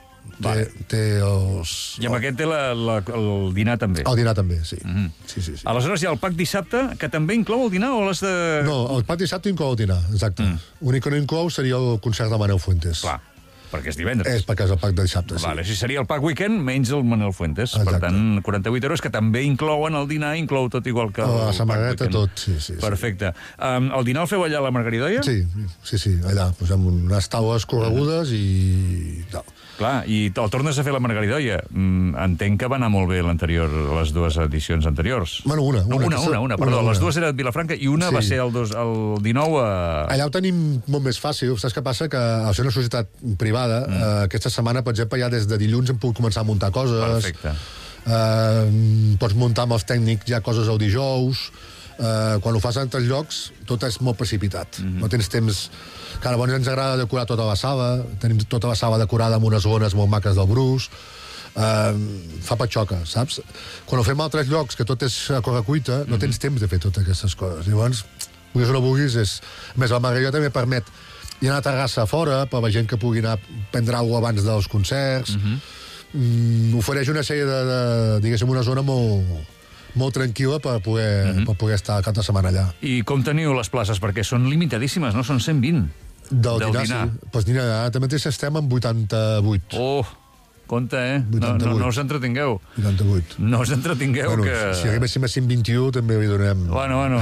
Té els... I amb aquest té el dinar també. El dinar també, sí. Sí. Aleshores hi ha el pack dissabte, que també inclou el dinar, o l'has de... No, el pack dissabte inclou el dinar, exacte. L'únic que no inclou seria el concert de Manel Fuentes. Clar, perquè és divendres. És perquè és el pack de dissabte, sí. Vale, si seria el pack weekend, menys el Manel Fuentes. Exacte. Per tant, 48 euros, que també inclouen el dinar, inclou tot igual que el la samarreta, tot, sí. Perfecte. El dinar el feu allà a la Margaridoia? Sí, allà, posem unes taules corregudes i... Clar, i el tornes a fer la Margaridoia. Entenc que va anar molt bé les 2 edicions anteriors. Bueno, una. Perdó, les 2 eren a Vilafranca i una va ser el 19 a... Allà ho tenim molt més fàcil. Saps què passa? Que al ser una societat privada, aquesta setmana, per exemple, ja des de dilluns hem pogut començar a muntar coses. Perfecte. Pots muntar amb els tècnics ja coses el dijous. Quan ho fas en altres llocs, tot és molt precipitat. No tens temps... Clar, llavors ens agrada decorar tota la sala, tenim tota la sala decorada amb unes zones molt maques del Bruce, fa patxoca, saps? Quan ho fem a altres llocs, que tot és a correcuita, no tens temps de fer totes aquestes coses. Llavors, vulguis o no vulguis, és... A més, la Margarida també permet hi ha una terrassa a fora per la gent que pugui anar a prendre alguna cosa abans dels concerts. Ofereix una sèrie de diguéssim, una zona molt tranquil·la per poder estar cap de setmana allà. I com teniu les places? Perquè són limitadíssimes, no? Són 120. Del dinar. Sí. Pues mira, ara mateix estem en 88. Oh, compte, No us entretingueu. 88. No us entretingueu, bueno, que... Si arribéssim a 121 també li donem... Bueno.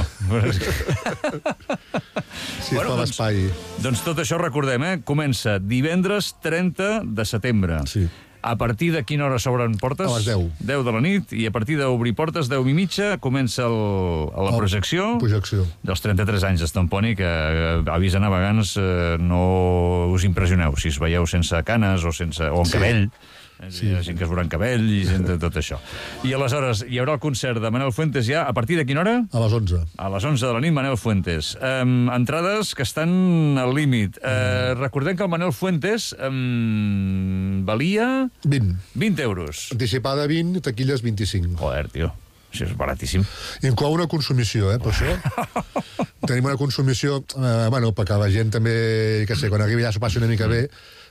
Sí, fa l'espai. Doncs tot això recordem, Comença divendres 30 de setembre. Sí. A partir de quina hora s'obren portes? A les 10. 10 de la nit, i a partir d'obrir portes, 10:30, comença la projecció dels 33 anys d'Estomponi, que avisen a vegans, no us impressioneu si es veieu sense canes o amb cabell. Hi ha gent que es veurà en cabell i gent de tot això. I aleshores hi haurà el concert de Manel Fuentes ja a partir de quina hora? A les 11. A les 11 de la nit, Manel Fuentes. Entrades que estan al límit. Recordem que el Manel Fuentes valia... 20 euros. Anticipada 20, taquilles 25. Joder, tio. Això és baratíssim. Inclou una consumició, per això. Tenim una consumició, perquè la gent també, quan arribi ja s'ho passi una mica bé,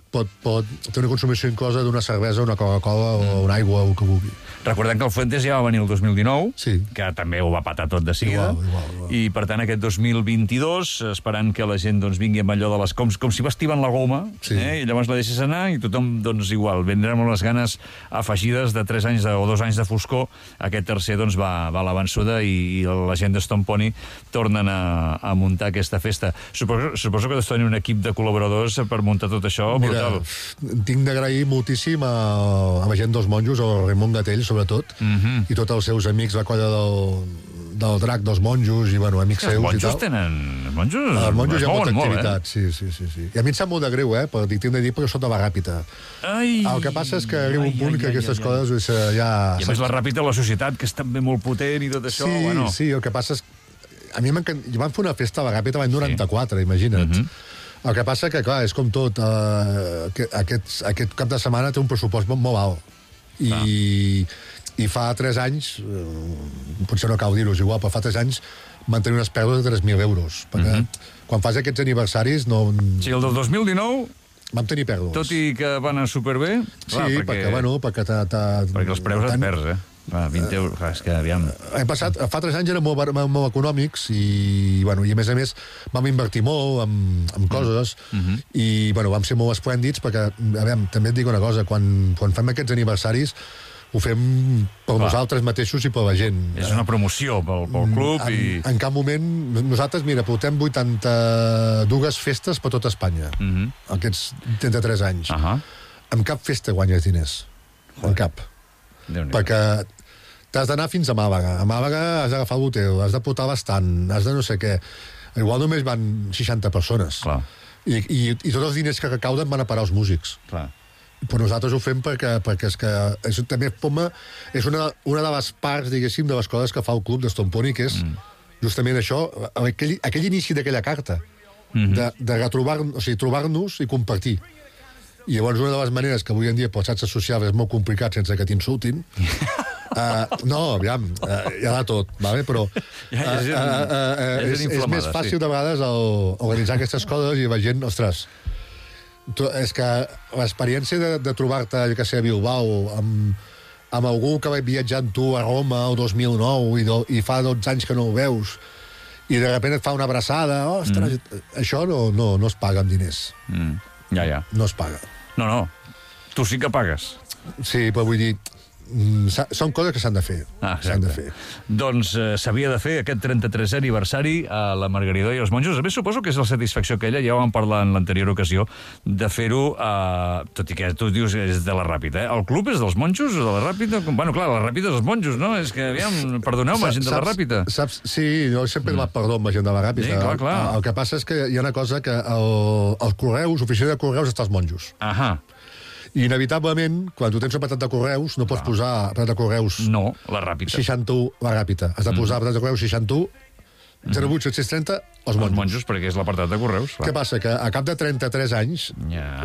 té una consumició inclosa d'una cervesa, una Coca-Cola o una aigua o el que vulgui. Recordem que el Fuentes ja va venir el 2019, Sí. que també ho va patar tot de seguida. Igual. I, per tant, aquest 2022, esperant que la gent doncs, vingui amb allò de les... Com si vestiven la goma, Sí. i llavors la deixes anar i tothom, doncs, igual, vendrem amb les ganes afegides de 3 anys o 2 anys de foscor. Aquest tercer, doncs, va a la vençuda i la gent de Stone Pony tornen a muntar aquesta festa. Suposo que deus tenir un equip de col·laboradors per muntar tot això. Mira, brutal. tinc d'agrair moltíssim a la gent dels monjos, el Raimon Gatell, sobretot, i tots els seus amics, la colla del Drac, dels monjos, i, bueno, amics seus i tal. Els monjos tenen... Els monjos hi ha molta molt, activitat, sí. I a mi em sap molt de greu, perquè tinc de dir, perquè sóc de la Ràpita. El que passa és que arriba un punt que aquestes coses ja... I a més la Ràpita, la societat, que és també molt potent i tot això, bueno... Sí, el que passa és... A mi jo vam fer una festa a la Ràpita l'any 94, imagina't. El que passa que, clar, és com tot, aquest cap de setmana té un pressupost molt alt. I fa 3 anys, potser no cal dir-ho, igual, però fa 3 anys van tenir unes pèrdues de 3.000 euros. Perquè quan fas aquests aniversaris no... Sí, el del 2019... Vam tenir pèrdues. Tot i que van anar superbé... Sí, perquè perquè els preus et perds, 20 euros, és que aviam... Fa 3 anys eren molt econòmics i a més vam invertir molt en coses i vam ser molt esplèndids perquè, també et dic una cosa, quan fem aquests aniversaris ho fem per nosaltres mateixos i per la gent. És una promoció pel club i... En cap moment... Nosaltres, mira, portem 82 festes per tot Espanya, aquests 33 anys. En cap festa guanyes diners. En cap. Perquè t'has d'anar fins a Màlaga. A Màlaga has d'agafar l'hotel, has de portar l'estand, has de no sé què. Igual només van 60 persones. I tots els diners que recauden van a parar als músics. Però nosaltres ho fem perquè és que també és una de les parts, diguéssim, de les coses que fa el club de Stone Pony, que és justament això, aquell inici d'aquella carta, de retrobar-nos, o sigui, trobar-nos i compartir. I llavors una de les maneres que avui en dia pels xarxes socials és molt complicat sense que t'insultin, no, aviam, hi ha de tot, vale? Però és més fàcil de vegades organitzar aquestes coses i la gent, ostres, és que l'experiència de trobar-te, que sé, a Bilbao, amb algú que va viatjar amb tu a Roma el 2009 i fa 12 anys que no ho veus, i de sobte et fa una abraçada, ostres, això no es paga amb diners. No es paga. No, tu sí que pagues. Sí, però vull dir, són coses que s'han de fer. S'han de fer. Doncs s'havia de fer aquest 33è aniversari a la Margaridó i els monjos. A més, suposo que és la satisfacció aquella, ja ho vam parlar en l'anterior ocasió, de fer-ho, tot i que tu dius que és de la Ràpita. El club és dels monjos o de la Ràpita? Bueno, clar, la Ràpita és dels monjos, no? És que, aviam, perdoneu-me, gent de la Ràpita. Sí, jo sempre he demanat perdó amb la gent de la Ràpita. Sí, clar. El que passa és que hi ha una cosa que el Correus, l'oficina de Correus, està als monjos. I inevitablement, quan tu tens un apartat de correus, no pots posar apartat de correus... No, la Ràpita. 61, la Ràpita. Has de posar apartat de correus 61, 08 730, els monjos. Els monjos, perquè és l'apartat de correus. Què passa? Que a cap de 33 anys,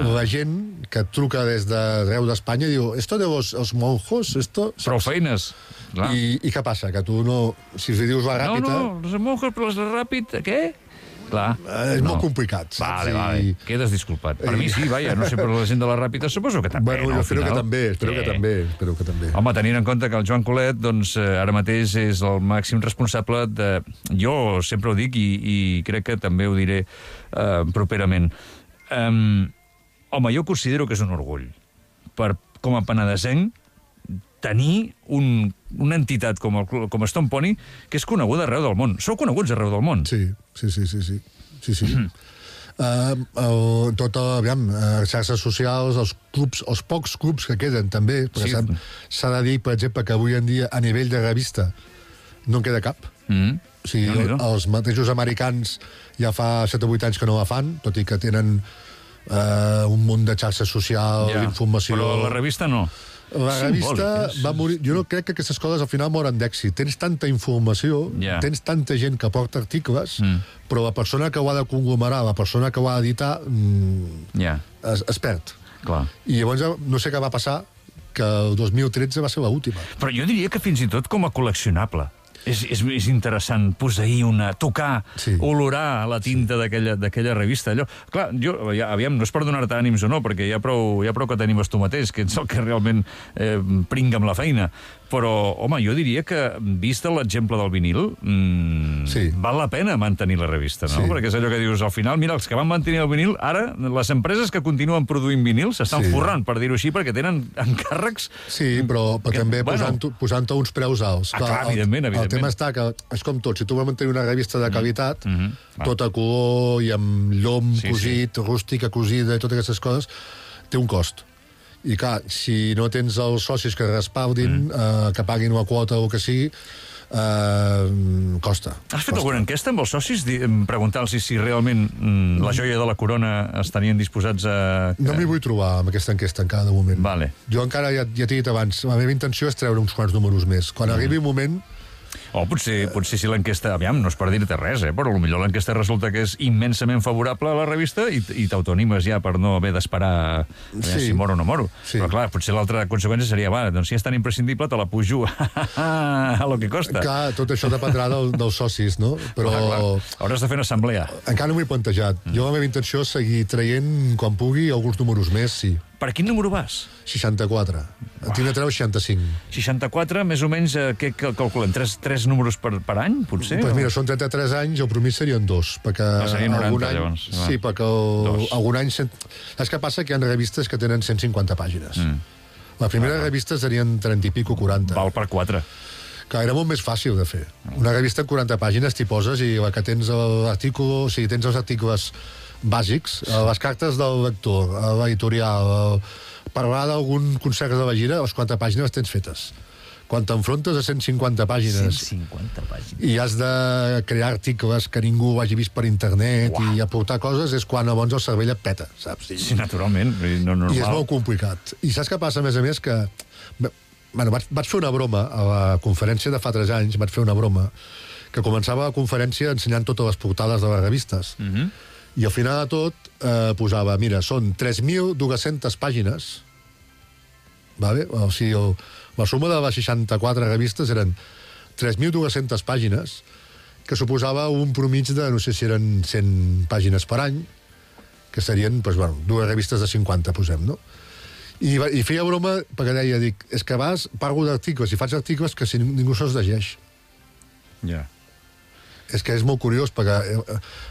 la gent que truca des d'arreu d'Espanya diu, esto de los monjos, esto... Prou feines. I què passa? Que tu no... Si li dius la Ràpita... No, los monjos, però la Ràpita, què? Clar. És molt complicat. Vale. Quedes disculpat. Per mi sí, vaja, no sé, però la gent de la Ràpita suposo que també. Bueno, jo espero que també. Home, tenint en compte que el Joan Colet, doncs, ara mateix és el màxim responsable de... Jo sempre ho dic i crec que també ho diré properament. Home, jo considero que és un orgull. Com a penedesenc, tenir una entitat com Stone Pony que és coneguda arreu del món. Sou coneguts arreu del món. Sí. Aviam, xarxes socials, els clubs, els pocs clubs que queden també, perquè s'ha de dir, per exemple, que avui en dia a nivell de revista no en queda cap. O sigui, els mateixos americans ja fa 7 o 8 anys que no la fan, tot i que tenen un munt de xarxes socials, d'informació... Però la revista no. La revista va morir... Jo no crec que aquestes coses al final moren d'èxit. Tens tanta informació, tens tanta gent que porta articles, però la persona que ho ha de conglomerar, la persona que ho ha d'editar, es perd. I llavors no sé què va passar, que el 2013 va ser l'última. Però jo diria que fins i tot com a col·leccionable. És interessant posseir tocar, olorar la tinta d'aquella revista. Allò. Clar, aviam, no és per donar-te ànims o no, perquè hi ha prou que t'animes tu mateix, que ets el que realment pringa amb la feina. Però, home, jo diria que, vist l'exemple del vinil, val la pena mantenir la revista, no? Perquè és allò que dius, al final, mira, els que van mantenir el vinil, ara, les empreses que continuen produint vinils s'estan forrant, per dir-ho així, perquè tenen encàrrecs... Sí, però també posant-te uns preus alts. Clar, evidentment. El tema està que, és com tot, si tu vols mantenir una revista de qualitat, tot a color i amb llom cosit, rústica cosida i totes aquestes coses, té un cost. I clar, si no tens els socis que respaldin, que paguin una quota o que sigui, costa. Has fet alguna enquesta amb els socis? Preguntar-los si realment la joia de la corona estarien disposats a... No m'hi vull trobar amb aquesta enquesta encara de moment. Vale. Jo encara, ja t'he dit abans, la meva intenció és treure uns quants números més. Quan arribi un moment... O potser si l'enquesta... Aviam, no és per dir-te res, però potser l'enquesta resulta que és immensament favorable a la revista i t'autoanimes ja per no haver d'esperar si moro o no moro. Però clar, potser l'altra conseqüència seria, doncs si és tan imprescindible te la pujo a lo que costa. Clar, tot això dependrà dels socis, no? Però... Hauràs de fer una assemblea. Encara no m'ho he plantejat. Jo la meva intenció és seguir traient, quan pugui, alguns números més, sí. Per quin número vas? 64. Tinc de treure 65. 64, més o menys, què calculem? 3 números per any, potser? Doncs mira, són 33 anys, el promís serien 2. Perquè serien 90, llavors. Sí, perquè algun any... Saps què passa? Que hi ha revistes que tenen 150 pàgines. La primera revista serien 30 i pico, 40. Val per 4. Que era molt més fàcil de fer. Una revista en 40 pàgines t'hi poses i la que tens l'article... O sigui, tens els articles bàsics, les cartes del lector, l'editorial, parlar d'algun concert de la gira, les 40 pàgines les tens fetes. Quan t'enfrontes a 150 pàgines... 150 pàgines. I has de crear articles que ningú hagi vist per internet i aportar coses, és quan llavors el cervell et peta, saps? Sí, naturalment. No normal. I és molt complicat. I saps què passa, a més, que... Bueno, vaig fer una broma a la conferència de fa 3 anys, vaig fer una broma, que començava la conferència ensenyant totes les portades de les revistes. I al final de tot posava, mira, són 3.200 pàgines, vale? O sigui, la suma de les 64 revistes eren 3.200 pàgines, que suposava un promig de, no sé si eren 100 pàgines per any, que serien, doncs, bueno, 2 revistes de 50, posem, no? I feia broma perquè deia, és que parlo d'articles i faig articles que si ningú se'ls llegeix. Ja. És que és molt curiós, perquè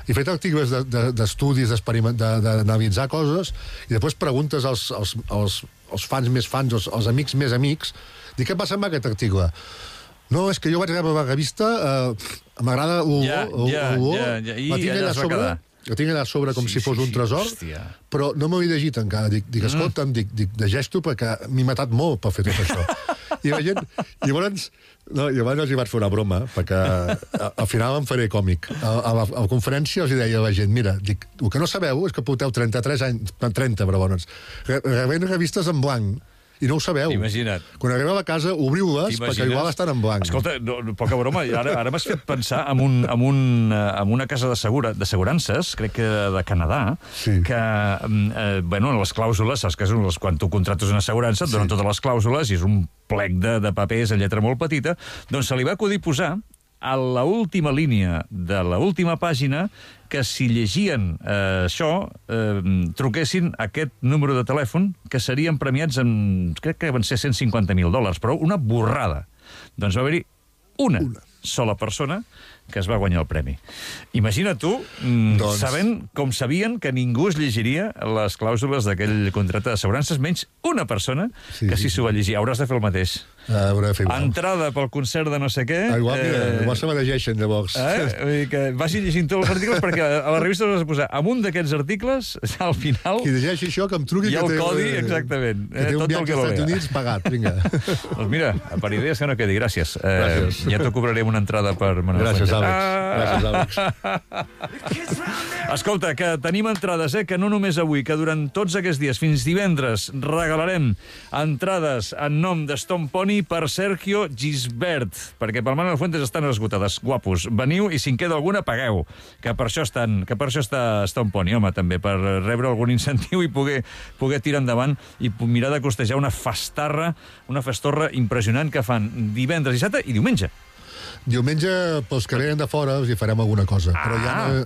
he fet articles d'estudis, d'analitzar coses, i després preguntes als fans més fans, als amics més amics, dic, què passa amb aquest article? No, és que jo vaig rebre la revista, m'agrada la tinc allà a sobre com si fos un tresor, però no m'ho he llegit encara. Dic, escolta'm, llegeix-t'ho perquè m'he matat molt per fer tot això. I la gent... Llavors els hi vaig fer una broma, perquè al final em faré còmic. A la conferència els hi deia a la gent, mira, dic, el que no sabeu és que porteu 33 anys, 30, però bones, rebent revistes en blanc, i no ho sabeu. Imagina't. Quan arribeu a casa, obriu-les, perquè igual estan en blanc. Escolta, poca broma, ara m'has fet pensar en una casa d'assegurances, crec que de Canadà, que, bueno, les clàusules, saps que quan tu contractes una assegurança, et donen totes les clàusules, i és un plec de papers en lletra molt petita, doncs se li va acudir posar a l'última línia de l'última pàgina que si llegien això, truquessin aquest número de telèfon, que serien premiats amb, crec que van ser $150.000, però una borrada. Doncs va haver-hi una sola persona que es va guanyar el premi. Imagina tu, sabent com sabien que ningú es llegiria les clàusules d'aquell contracte d'assegurances, menys una persona que sí s'ho va llegir. Hauràs de fer el mateix. Entrada pel concert de no sé què... Igual se me llegeixen, llavors. Vull dir que vagi llegint tots els articles, perquè a la revista has de posar amunt d'aquests articles, al final... Qui llegeixi això, que em truqui... I el codi, exactament. Que té un viatge als Estats Units pagat, vinga. Doncs mira, per idees que no quedi, gràcies. Ja t'ho cobrarem una entrada per... Gràcies, Àlex. Escolta, que tenim entrades, que no només avui, que durant tots aquests dies, fins divendres, regalarem entrades en nom de Stone Pony per Sergio Gisbert, perquè pel Manuel Fuentes estan esgotades. Guapos, veniu i si en queda alguna, pagueu, que per això està Stone Pony, home, també, per rebre algun incentiu i poder tirar endavant i mirar de costejar una festorra impressionant que fan divendres, dissabte i diumenge. Diumenge, pels que venen de fora, us hi farem alguna cosa. Però ja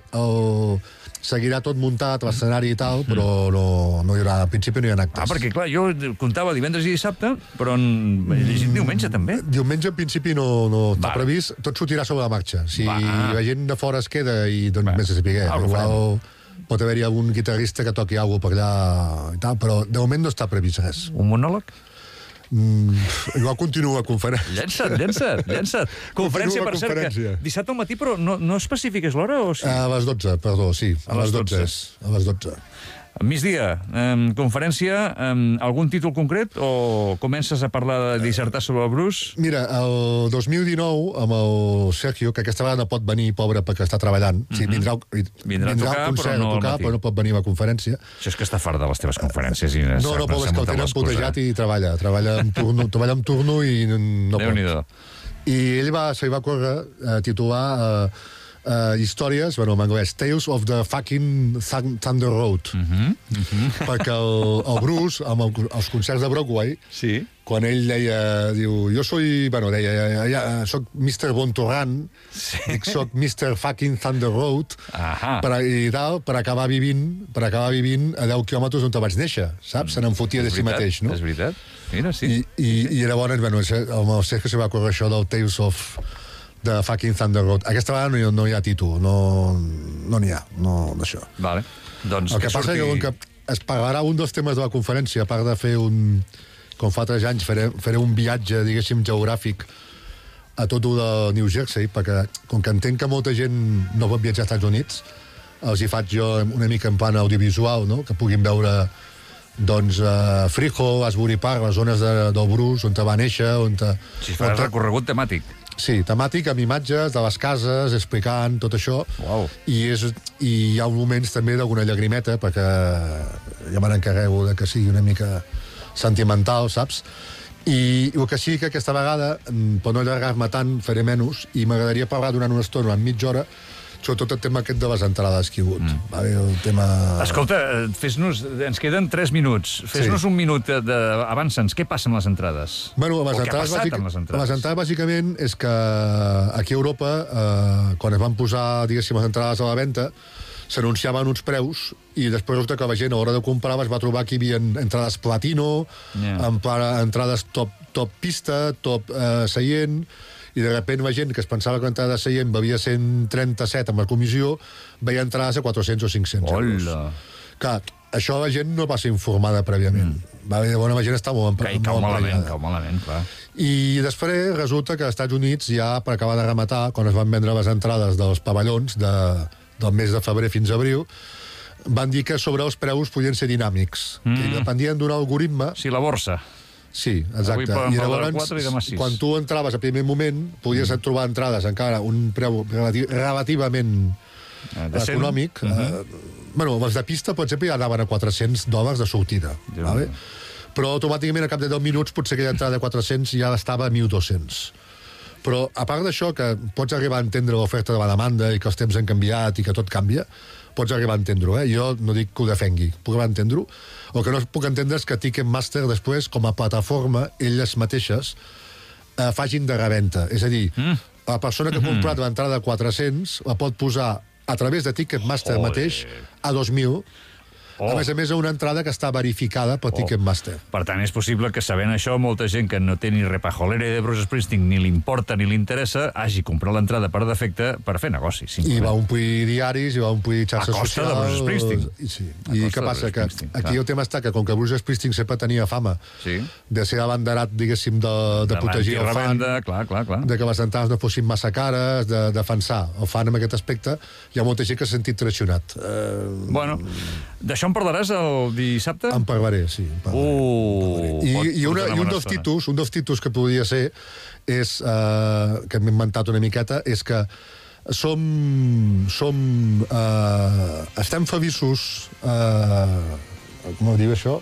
seguirà tot muntat, l'escenari i tal, però no hi haurà, al principi no hi ha actes. Perquè, clar, jo comptava divendres i dissabte, però he llegit diumenge, també. Diumenge, en principi, no està previst. Tot sortirà sobre la marxa. Si la gent de fora es queda i doncs més a saber. Igual pot haver-hi algun guitarrista que toqui alguna cosa per allà i tal, però de moment no està previst res. Un monòleg? Igual continua conferència. Llença't. Conferència, per cert, que dissabte al matí, però no especifiques l'hora o sí? A les 12, perdó, sí. A les 12. A les 12. Migdia, conferència, algun títol concret o comences a parlar de dissertar sobre el Bruce? Mira, el 2019, amb el Sergio, que aquesta vegada no pot venir, pobre, perquè està treballant. Vindrà a tocar, però no pot venir a la conferència. Això és que està fart de les teves conferències. No, però és que el tenen putejat i treballa. Treballa en turno i no pot. I ell se li va córrer titular històries, en anglès, Tales of the fucking Thunder Road. Perquè el Bruce, amb els concerts de Broadway, quan ell diu, jo soc Mr. Bontorran, soc Mr. fucking Thunder Road, i tal, per acabar vivint a 10 quilòmetres on te vaig néixer, saps? Se n'enfotia de si mateix, no? És veritat. Mira, sí. I llavors, amb el Sergio se va córrer això del Tales of de fucking Thunder Road. Aquesta vegada no hi ha títol, no n'hi ha, d'això. Vale. Doncs el que passa és que es pagarà un dels temes de la conferència, a part de fer com fa 3 anys, faré un viatge, diguéssim, geogràfic a tot de New Jersey, perquè com que entenc que molta gent no pot viatjar als Estats Units, els hi faig jo una mica en plan audiovisual, no? Que puguin veure doncs Freehold, Asbury Park, les zones del Bruce, on va néixer, Si faràs recorregut temàtic. Sí, temàtic, amb imatges de les cases, explicant tot això. I hi ha moments també d'alguna llagrimeta, perquè ja me n'encarrego que sigui una mica sentimental, saps? I el que sí que aquesta vegada, per no allargar-me tant, faré menys, i m'agradaria parlar durant una estona, durant mitja hora, sobretot el tema aquest de les entrades que hi ha hagut. El tema... Escolta, ens queden 3 minuts. Fes-nos un minut avança'ns. Què passa amb les entrades? Bueno, les entrades, bàsicament, és que aquí a Europa, quan es van posar, diguéssim, les entrades a la venda, s'anunciaven uns preus i després resulta que la gent a l'hora de comprar es va trobar que hi havia entrades platino, entrades top pista, top seient, i de sobte la gent que es pensava que l'entrada de seient valia 137 amb la comissió, veia entrades a 400 o 500 euros. Clar, això la gent no va ser informada prèviament. La gent està molt emprenyada. Cau malament, clar. I després resulta que als Estats Units, ja per acabar de rematar, quan es van vendre les entrades dels pavellons del mes de febrer fins a abril, van dir que sobre els preus podien ser dinàmics, que dependien d'un algoritme... Sí, la borsa. Sí, exacte. I llavors, quan tu entraves a primer moment, podies trobar entrades encara un preu relativament econòmic. Bueno, els de pista, per exemple, ja anaven a $400 de sortida. Però automàticament, a cap de 10 minuts, potser aquella entrada de 400 ja estava a 1.200. Però, a part d'això, que pots arribar a entendre l'oferta de la demanda i que els temps han canviat i que tot canvia, pots arribar a entendre-ho, Jo no dic que ho defengui, puc arribar a entendre-ho. El que no puc entendre és que Ticketmaster després, com a plataforma, elles mateixes facin de reventa. És a dir, la persona que ha comprat l'entrada de 400 la pot posar a través de Ticketmaster mateix a 2.000, a més, una entrada que està verificada per Ticketmaster. Per tant, és possible que, sabent això, molta gent que no té ni repajolera de Bruce Springsteen, ni li importa ni li interessa, hagi comprat l'entrada per defecte per fer negoci. I va omplir diaris, i va omplir xarxes socials... A costa de Bruce Springsteen. I què passa? Que aquí el tema està que, com que Bruce Springsteen sempre tenia fama de ser abanderat, diguéssim, de protegir el fan, de que les entrades no fossin massa cares, de defensar el fan en aquest aspecte, hi ha molta gent que s'ha sentit traicionat. Bueno, d'això en parlaràs el dissabte? En parlaré, sí. I un dels títols que podria ser és, que m'he inventat una miqueta, és que estem feliços... Com ho diu això?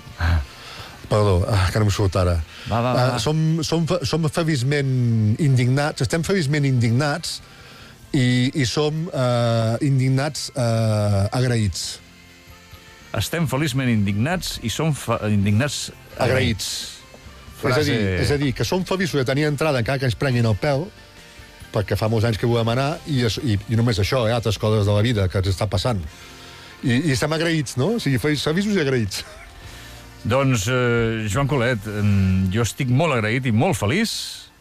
Perdó, que no em surt ara. Som feliçment indignats, estem feliçment indignats i som indignats agraïts. Estem feliçment indignats i som indignats agraïts. És a dir, que som feliços de tenir entrada encara que ens prenguin el pèl, perquè fa molts anys que volem anar, i només això, altres coses de la vida que ens està passant. I estem agraïts, no? O sigui, feliços i agraïts. Doncs, Joan Colet, jo estic molt agraït i molt feliç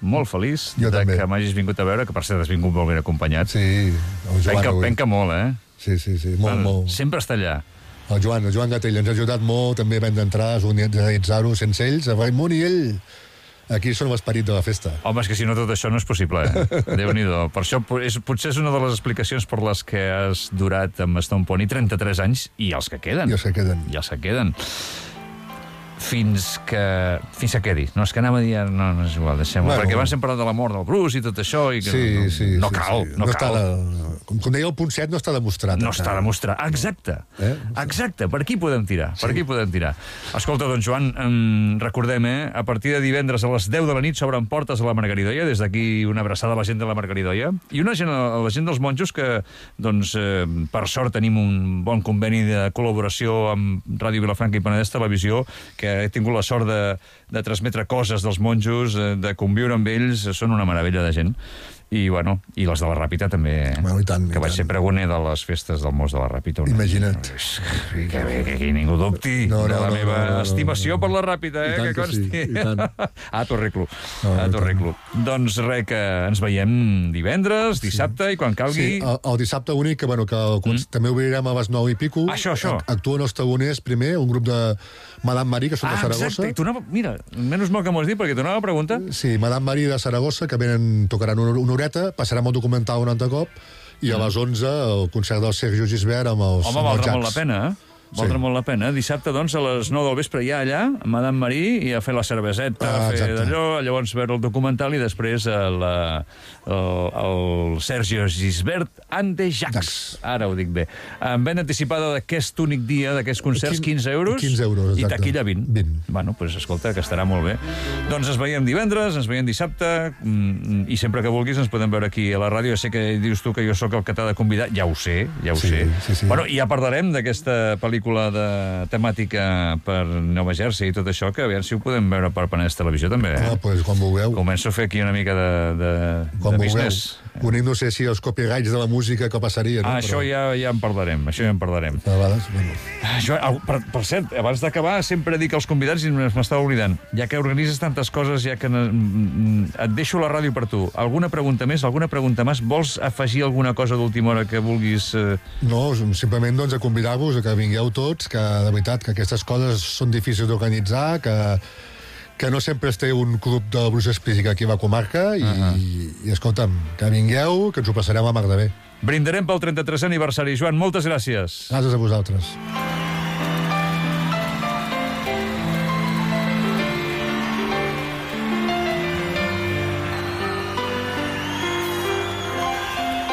que m'hagis vingut a veure, que per cert has vingut molt ben acompanyat. Sí, el Joan penca molt, eh? Sí, molt. Sempre està allà. El Joan Gatell ens ha ajudat molt, també vam d'entrar, organitzar-ho sense ells, a Raimon i ell. Aquí són l'esperit de la festa. Home, és que si no tot això no és possible, Déu-n'hi-do. Per això potser és una de les explicacions per les que has durat amb Stone Pony 33 anys i els que queden. I els que queden. Fins que quedi. No, és que anava a dir... No és igual, deixem-ho. Perquè abans hem parlat de la mort del Bruce i tot això, i que no cal. Com deia el punt 7, no està demostrat. No està demostrat. Exacte. Exacte. Per aquí podem tirar. Escolta, doncs, Joan, recordem, a partir de divendres a les 10 de la nit s'obren portes a la Margaridoia. Des d'aquí una abraçada a la gent de la Margaridoia. I a la gent dels monjos que, doncs, per sort tenim un bon conveni de col·laboració amb Ràdio Vilafranca i Penedès Televisió, que he tingut la sort de transmetre coses dels monjos, de conviure amb ells, són una meravella de gent. I, bueno, i les de la Ràpita també, que vaig ser pregoner de les festes del Mos de la Ràpita. Imagina't. Que bé, que aquí ningú dubti de la meva estimació per la Ràpita, que consti. A t'ho arreglo. Doncs res, que ens veiem divendres, dissabte, i quan calgui... Sí, el dissabte únic, que també obrirem a les 9 i pico. Això. Actuen els tagoners primer, un grup de Madame Marie, que són de Saragossa. Exacte. Mira, menys mal que m'ho has dit, perquè t'anava a preguntar. Sí, Madame Marie de Saragossa, que tocaran una horeta, passarem el documental un altre cop, i a les 11 el concert del Sergio Gisbert amb els Jacs. Home, valdrà molt la pena, Valdrà molt la pena. Dissabte, doncs, a les 9 del vespre ja allà, a Madame Marie, i a fer la cerveseta, a fer d'allò, llavors veure el documental i després el Sergio Gisbert and the Jacs. Ara ho dic bé. En venda anticipada d'aquest únic dia, d'aquests concerts, 15 euros. 15 euros, exacte. I taquilla 20. Bueno, doncs escolta, que estarà molt bé. Doncs ens veiem divendres, ens veiem dissabte, i sempre que vulguis ens podem veure aquí a la ràdio. Ja sé que dius tu que jo sóc el que t'ha de convidar. Ja ho sé. Sí. Bueno, i ja parlarem d'aquesta pel·lícula de temàtica per Nova Jersey i tot això, que aviam si ho podem veure per Penedès Televisió també. Doncs quan vulgueu. Començo a fer aquí una mica de business. Únic no sé si els copyrights de la música que passaria, no? Això ja en parlarem, A vegades, per cert, abans d'acabar sempre dic als convidats, i m'estava oblidant, ja que organitzes tantes coses, ja que et deixo la ràdio per tu. Alguna pregunta més? Vols afegir alguna cosa d'última hora que vulguis? No, simplement a convidar-vos a que vingueu tots, que de veritat que aquestes coses són difícils d'organitzar, que no sempre es té un club de Bruce Springsteen aquí a la comarca, i escolta'm, que vingueu, que ens ho passarem a mar de bé. Brindarem pel 33è aniversari. Joan, moltes gràcies. Gràcies a vosaltres.